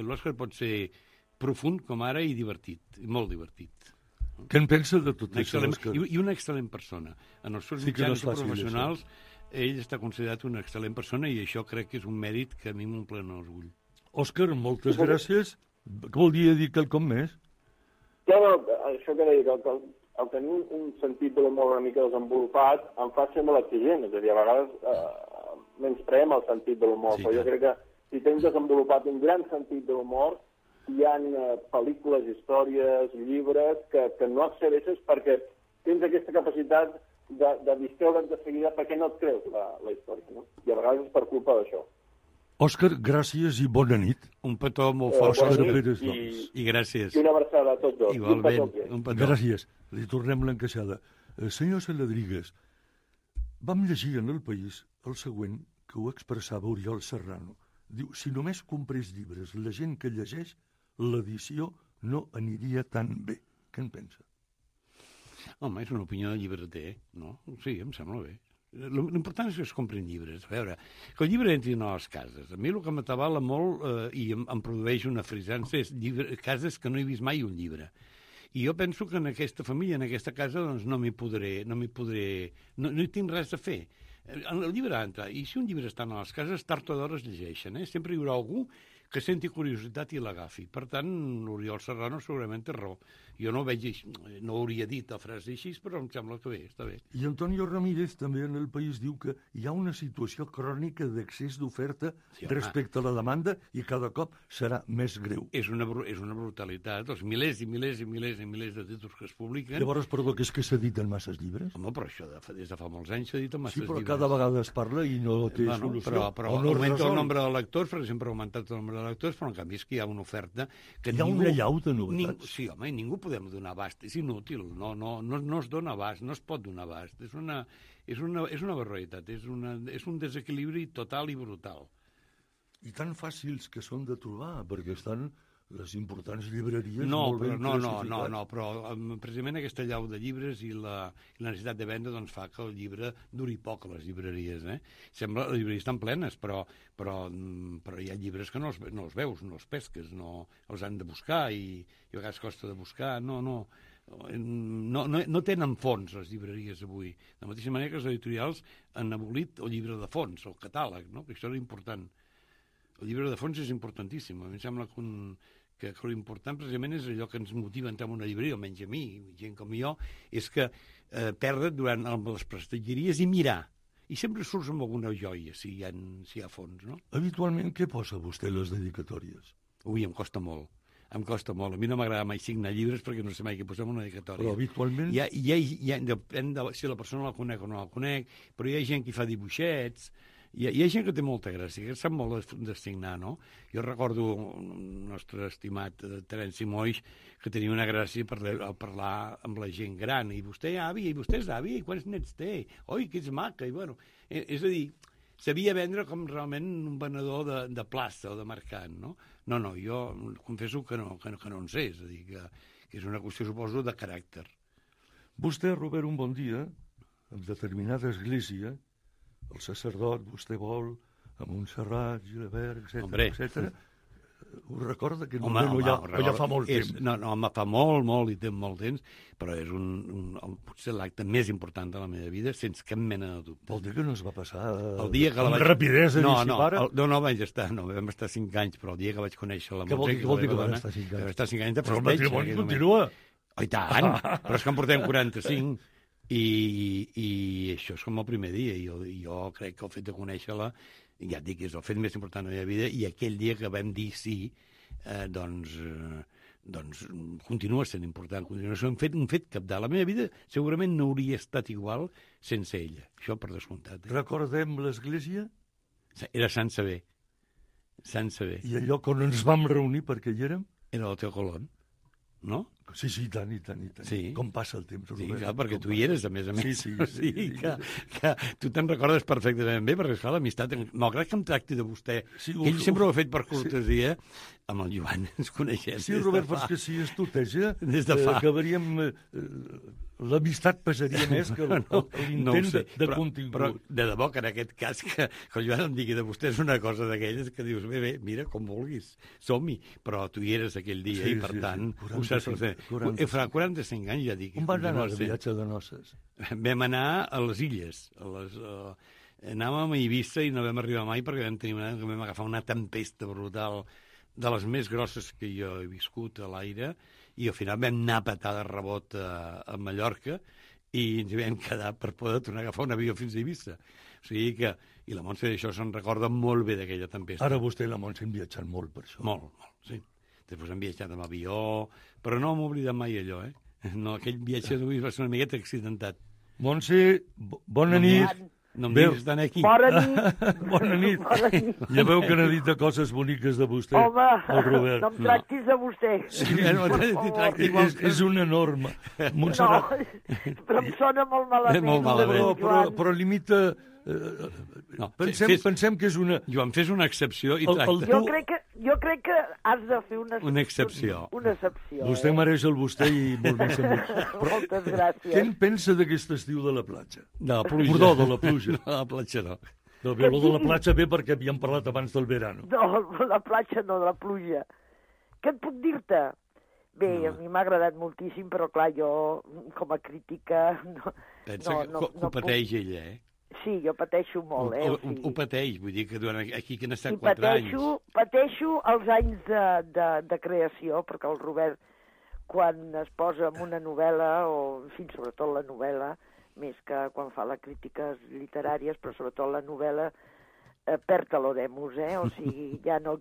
l'Òscar pot ser profund com ara i divertit, molt divertit. Què en pensa de tot això, Òscar? I una excel·lent persona. En els seus mitjans professionals, ell està considerat una excel·lent persona i això crec que és un mèrit que a mi m'omple l'orgull. Òscar, moltes gràcies. Què vol dir quelcom més? No, això que deia, que el tenir un sentit de l'humor una mica desenvolupat em fa ser molt exigent, és a dir, a vegades menyspreem el sentit de l'humor, però jo crec que si tens desenvolupat un gran sentit de l'humor, hi ha pel·lícules, històries, llibres que no accedeixes perquè tens aquesta capacitat de distreure't de seguida perquè no et creus la història, no? I a vegades és per culpa d'això. Òscar, gràcies i bona nit. Un petó molt fort, Òscar Òscar, Pérez, doncs. i gràcies. I una abraçada a tots dos. Igualment, un petó. Gràcies. Li tornem l'encaixada. Senyor Saladrigues, vam llegir en El País el següent que ho expressava Oriol Serrano. Diu, si només comprés llibres la gent que llegeix, l'edició no aniria tan bé. Què en pensa? Home, és una opinió de llibreter, no? Sí, em sembla bé. L'important és que es comprin llibres. A veure, que el llibre entri a les cases. A mi el que m'atabala molt i em produeix una frisança és cases que no he vist mai un llibre. I jo penso que en aquesta família, en aquesta casa, doncs no hi tinc res a fer. El llibre ha d'entrar, i si un llibre està a les cases, tard o d'hora es llegeixen. Sempre hi haurà algú que senti curiositat i l'agafi. Per tant, l'Oriol Serrano segurament té raó. Jo no ho veig, no hauria dit la frase així, però em sembla que bé, està bé. I Antonio Ramírez també en El País diu que hi ha una situació crònica d'excés d'oferta respecte a la demanda i cada cop serà més greu. És una brutalitat. Els milers i milers i milers i milers de títols que es publiquen... Llavors, perdó, que és que s'editen masses llibres? Home, però això des de fa molts anys s'editen masses llibres. Sí, però cada vegada es parla i no té solució. Però augmenta el nombre de lectors, per exemple, ha augmentat el nombre de lectors, però en canvi és que hi ha una oferta... Hi ha una llau de novetats. Sí, home, i ningú podem donar abast. És inútil, no es dona abast, no es pot donar abast. És una barbaritat, és un desequilibri total i brutal. I tan fàcils que són de trobar, perquè estan les importants llibreries molt ben classificades. No, però precisament aquesta llau de llibres i la necessitat de vendre doncs, fa que el llibre duri poc a les llibreries. Sembla que les llibreries estan plenes, però hi ha llibres que no els veus, no els pesques, no els han de buscar i a vegades costa de buscar. No tenen fons les llibreries avui. De la mateixa manera que els editorials han abolit el llibre de fons, el catàleg, no? Que això era important. El llibre de fons és importantíssim. A mi em sembla que l'important precisament és allò que ens motiva a entrar en una llibreria, almenys a mi, gent com jo, és que perdre't durant les prestatgeries i mirar. I sempre surts amb alguna joia, si hi ha fons, no? Habitualment, què posa vostè a les dedicatòries? Ui, em costa molt. Em costa molt. A mi no m'agrada mai signar llibres perquè no sé mai què posem en una dedicatòria. Però habitualment... Depèn de si la persona la conec o no la conec, però hi ha gent que fa dibuixets, hi ha gent que té molta gràcia, que sap molt de signar, no? Jo recordo el nostre estimat Terenci Moix, que tenia una gràcia per parlar amb la gent gran. I vostè àvia, i vostè és àvia, i quants nets té? Oi, que ets maca! I bueno, és a dir, sabia vendre com realment un venedor de plaça o de mercat, no? No, jo confesso que no en sé, és a dir, que és una qüestió, suposo, de caràcter. Vostè, Robert, un bon dia, en determinada església, el sacerdot, vostè vol, a Montserrat, Gilabert, etc. Ho recorda que ja fa molt temps? No, fa molt i té molt temps, però és potser l'acte més important de la meva vida, sense cap mena de dubte. Vol dir que no es va passar amb rapidesa? No, vam estar 5 anys, però el dia que vaig conèixer la Montse... Què vol dir que vam estar 5 anys? Vam estar 5 anys de festeig. Però el matrimoni continua. Oh, i tant, però és que en portem 45... I això és com el primer dia. Jo crec que el fet de conèixer-la, ja et dic, és el fet més important de la meva vida, i aquell dia que vam dir sí, doncs continua sent important. Continua sent un fet cabdal. La meva vida segurament no hauria estat igual sense ella. Això per descomptat. Recordem l'església? Era Sant Sever. Sant Sever. I el lloc on ens vam reunir perquè hi érem? Era el Teo Colón. No? Sí, i tant. Sí. Com passa el temps, Robert. Sí, clar, perquè tu hi eres, a més. Sí. O sigui que tu te'n recordes perfectament bé, perquè, esclar, l'amistat, malgrat que em tracti de vostè, Sí, que ell sempre ho ha fet per cortesia, amb el Joan ens coneixem. Sí, Robert, però és que si es tuteja, Des de fa. acabaríem... L'amistat pesaria més que l'intent de contingut. Però de debò que en aquest cas que el Joan em digui de vostè és una cosa d'aquelles que dius, bé, mira, com vulguis, som-hi. Però tu hi eres aquell dia i, per tant, ho saps fer. Farà 45 anys, ja dic. On van anar de viatge de noces? Vam anar a les illes. Anàvem a Eivissa i no vam arribar mai perquè vam agafar una tempesta brutal de les més grosses que jo he viscut a l'aire, i al final vam anar a petar de rebot a Mallorca i ens hi vam quedar per poder tornar a agafar un avió fins a Eivissa. O sigui que... I la Montse d'això se'n recorda molt bé d'aquella tempesta. Ara vostè i la Montse han viatjat molt per això. Molt, sí. Després hem viatjat amb avió, però no m'he oblidat mai allò, No, aquell viatge d'avui va ser una miqueta accidentat. Montse, bona nit. No em diguis d'anar aquí. Bona nit. Bona nit. Ja veu que n'ha dit de coses boniques de vostè, Home, el Robert. no em tractis de vostè. Sí, no t'hi tracti igual. És una norma. No, però em sona molt malament. Molt malament. Però limita... No, pensem que és una... Joan, fes una excepció i tracta. Jo crec que has de fer una excepció. Una excepció. Vostè mereix el vostè i molt més a mi. Moltes gràcies. Què en pensa d'aquest estiu de la platja? De la pluja. Perdó, de la pluja. De la platja no. No, de la platja bé perquè havíem parlat abans del verano. No, la platja no, de la pluja. Què et puc dir-te? Bé, a mi m'ha agradat moltíssim, però clar, jo, com a crítica... Pensa que ho pateix ella, Sí, jo pateixo molt, Ho pateix, vull dir que durant aquí que han estat 4 anys... Pateixo els anys de creació, perquè el Robert, quan es posa en una novel·la, o en fi, sobretot la novel·la, més que quan fa les crítiques literàries, però sobretot la novel·la, perd l'oremus, O sigui, ja no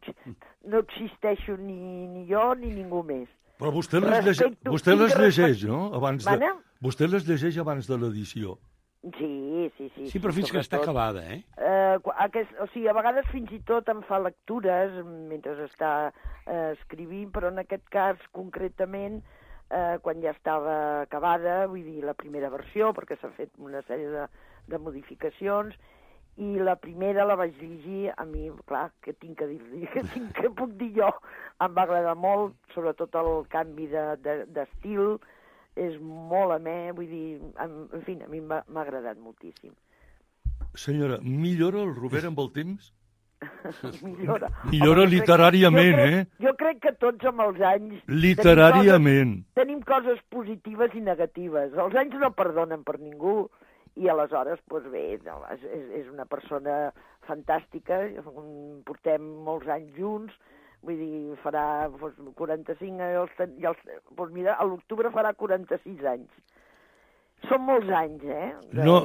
existeixo ni jo ni ningú més. Però vostè les llegeix, no? Vostè les llegeix abans de l'edició. Sí. Sí, però fins que està acabada, O sigui, a vegades fins i tot em fa lectures mentre està escrivint, però en aquest cas, concretament, quan ja estava acabada, vull dir, la primera versió, perquè s'ha fet una sèrie de modificacions, i la primera la vaig llegir, a mi, clar, què tinc que dir-li? Què puc dir jo? Em va agradar molt, sobretot el canvi d'estil, és molt amè, vull dir, en fi, a mi m'ha agradat moltíssim. Senyora, millora el Robert amb el temps? Millora literàriament, Jo crec que tots amb els anys... Literàriament. Tenim coses positives i negatives. Els anys no perdonen per ningú, i aleshores, doncs bé, és una persona fantàstica, portem molts anys junts, vull dir, farà 45 doncs mira, a l'octubre farà 46 anys. Són molts anys, No,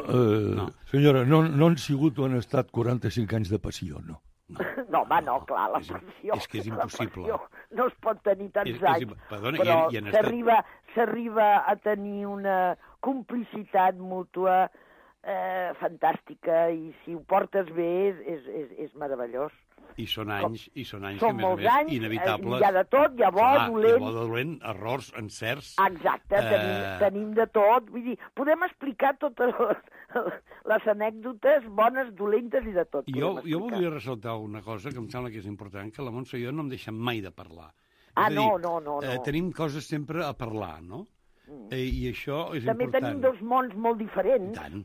senyora, no han sigut o han estat 45 anys de passió, no. No, home, no, clar, la passió... És que és impossible. No es pot tenir tants anys, perdona, però s'arriba a tenir una complicitat mútua fantàstica, i si ho portes bé és meravellós. I són anys que, són a més a més, inevitables. Hi ha de tot, hi ha bo, dolent... Hi ha bo, dolent, errors, encerts... Exacte, tenim de tot. Vull dir, podem explicar totes les anècdotes bones, dolentes i de tot. Jo voldria ressaltar una cosa que em sembla que és important, que la Montse i jo no em deixem mai de parlar. No. Tenim coses sempre a parlar, no? I això és També important. També tenim dos mons molt diferents. Tant.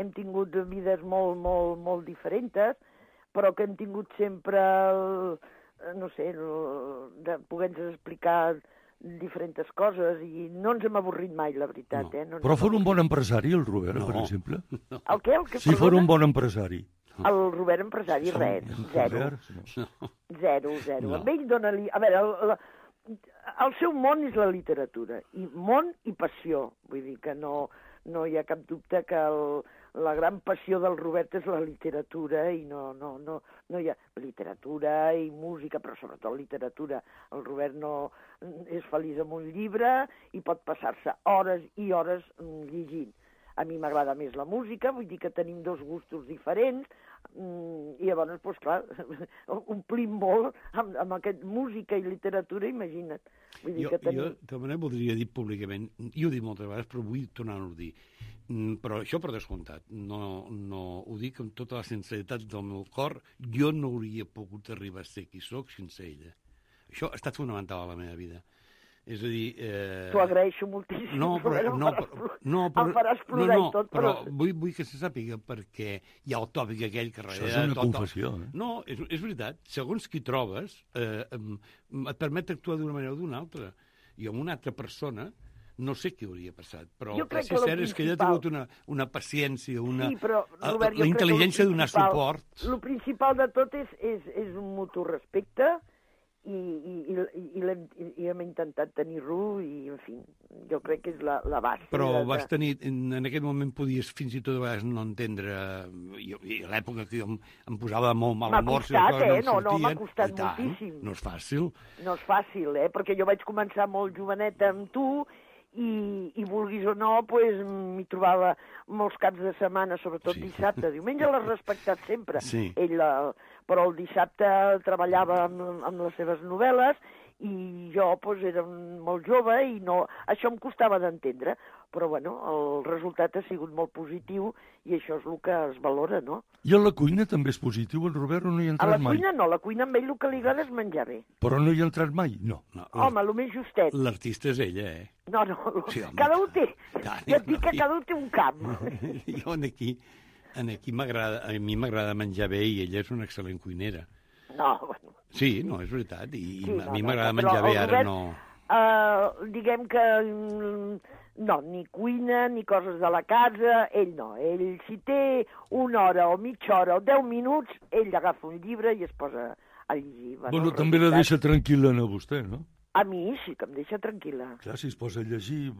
Hem tingut vides molt diferents, però que hem tingut sempre, de poder-nos explicar diferents coses, i no ens hem avorrit mai, la veritat. No. Però fos un bon empresari, el Robert, per exemple? No. El què? Si fos un bon empresari. El Robert empresari, res, zero. No. A ell dona-li... A veure, el seu món és la literatura, i món i passió. Vull dir que no hi ha cap dubte que la gran passió del Robert és la literatura, i no hi ha literatura i música, però sobretot literatura. El Robert no és feliç amb un llibre i pot passar-se hores i hores llegint. A mi m'agrada més la música, vull dir que tenim dos gustos diferents. I llavors, doncs clar, omplim molt amb aquest música i literatura, imagina't. Vull dir que tenim... Jo també voldria dir públicament, jo ho he dit moltes vegades, però vull tornar-ho a dir, però això per descomptat, no ho dic amb tota la sinceritat del meu cor, jo no hauria pogut arribar a ser qui soc sense ella. Això ha estat fonamental a la meva vida. És a dir... T'ho agraeixo moltíssim. Em faràs plorar i tot, però vull que se sàpiga, perquè hi ha el tòpic aquell que... Això és una confessió, eh? No, és veritat. Segons qui trobes, et permet actuar d'una manera o d'una altra. I amb una altra persona, no sé què hauria passat, però el que és cert és que ella ha tingut una paciència, la intel·ligència de donar suport. El principal de tot és un mutu respecte, i hem intentat tenir-lo i, en fi, jo crec que és la base. Però vas tenir, en aquest moment podies fins i tot a vegades no entendre, i a l'època que em posava molt mal humor... M'ha costat, m'ha costat moltíssim. No és fàcil. No és fàcil, perquè jo vaig començar molt joveneta amb tu i vulguis o no, doncs m'hi trobava molts caps de setmana, sobretot dissabte. Diumenge l'has respectat sempre. Sí. Però el dissabte treballava amb les seves novel·les i jo era molt jove i això em costava d'entendre. Però, bueno, el resultat ha sigut molt positiu i això és el que es valora, no? I a la cuina també és positiu, el Robert, o no hi ha entrat mai? A la cuina no, a la cuina amb ell el que li agrada és menjar bé. Però no hi ha entrat mai? No. Home, el més justet. L'artista és ella, eh? No, sí, cada un té. Ja et dic que cada un té un camp. Jo aquí a mi m'agrada menjar bé i ella és una excel·lent cuinera. No, bueno. Sí, no, és veritat. A mi m'agrada menjar bé, ara no... Diguem que no, ni cuina, ni coses de la casa, ell no. Ell, si té una hora o mitja hora o 10 minuts, ell agafa un llibre i es posa a llegir. Bueno, també la deixa tranquil·la a vostè, no? A mi sí, que em deixa tranquil·la. Clar, si es posa a llegir...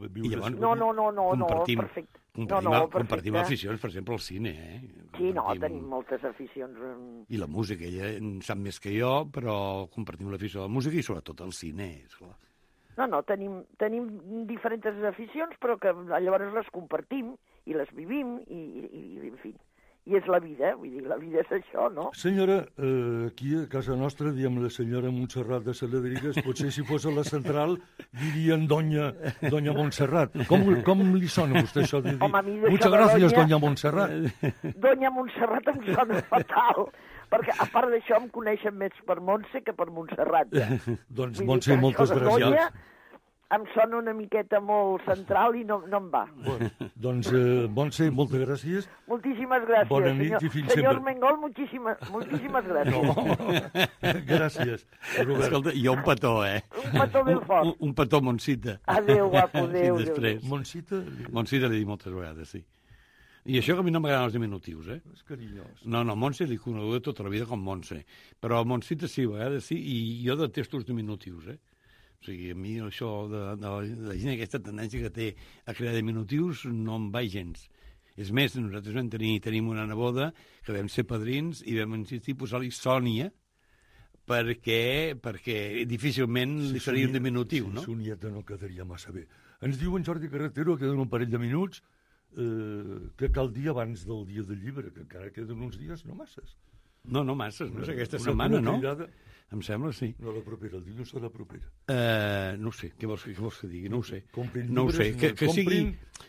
No, perfecte. Compartim aficions, per exemple, al cine, eh? Sí, tenim moltes aficions. I la música, ella en sap més que jo, però compartim l'afició a la música i sobretot al cine, esclar. No, tenim diferents aficions, però que llavors les compartim i les vivim i en fi... I és la vida, vull dir, la vida és això, no? Senyora, aquí a casa nostra diem la senyora Montserrat de Saladrigues, potser si fos a la central dirien doña Montserrat. Com li sona a vostè això de dir? Home, a mi Muchas gracias, doña Montserrat. Doña Montserrat em sona fatal, perquè a part d'això em coneixen més per Montse que per Montserrat. Ja. Doncs Montse, moltes gràcies. Em sona una miqueta molt central i no em va. Bueno, doncs, Montse, moltes gràcies. Moltíssimes gràcies. Bona nit i fins sempre. Senyor Mengol, moltíssimes gràcies. No, gràcies, Robert. Escolta, jo un petó, eh? Un petó ben fort. Un petó, Montsita. Adéu, guapo, adéu. I després. Montsita l'he dit moltes vegades, sí. I això que a mi no m'agraden els diminutius, eh? És carinyós. No, Montse l'he conegut tota la vida com Montse. Però Montsita sí, a vegades sí, i jo detesto els diminutius, eh? O sigui, a mi això de la gent, aquesta tendència que té a crear diminutius no em va gens. És més, nosaltres tenim una neboda que vam ser padrins i vam insistir a posar-li Sònia perquè difícilment li faria un diminutiu, no? Si Sonieta no quedaria massa bé. Ens diu en Jordi Carretero, queden un parell de minuts, que cal dir abans del dia del llibre, que encara queden uns dies, no masses. No masses, no sé, aquesta setmana, no? Em sembla, sí. No la propera, el dilluns serà la propera. No ho sé, què vols que digui? No ho sé. Comprin no ho sé, que sigui...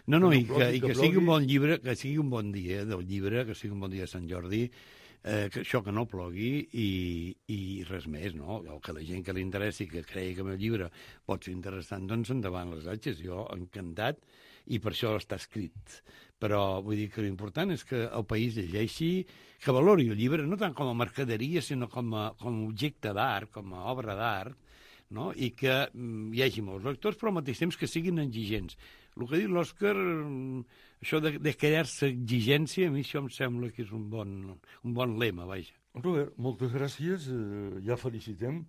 No, i que sigui un bon llibre, que sigui un bon dia del llibre, que sigui un bon dia de Sant Jordi, que això que no plogui i res més, no? O que la gent que li interessi, que cregui que el meu llibre pot ser interessant, doncs endavant les atxes. Jo encantat, i per això està escrit. Però vull dir que l'important és que el país llegeixi, que valori el llibre, no tant com a mercaderia, sinó com a objecte d'art, com a obra d'art, no? I que hi hagi molts lectors, però al mateix temps que siguin exigents. El que ha dit l'Òscar, això de crear-se exigència, a mi això em sembla que és un bon lema, vaja. Robert, moltes gràcies. Ja felicitem,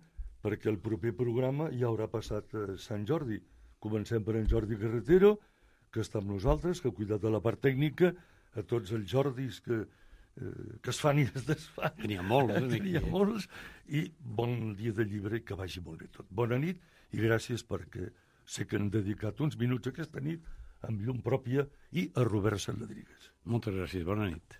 perquè el proper programa ja haurà passat Sant Jordi. Comencem per en Jordi Carretero, que està amb nosaltres, que ha cuidat de la part tècnica, a tots els Jordis que es fan i es desfan. N'hi ha molts. N'hi ha molts. I bon dia de llibre, que vagi molt bé tot. Bona nit i gràcies perquè sé que han dedicat uns minuts aquesta nit amb llum pròpia i a Robert Saladrigues. Moltes gràcies, bona nit.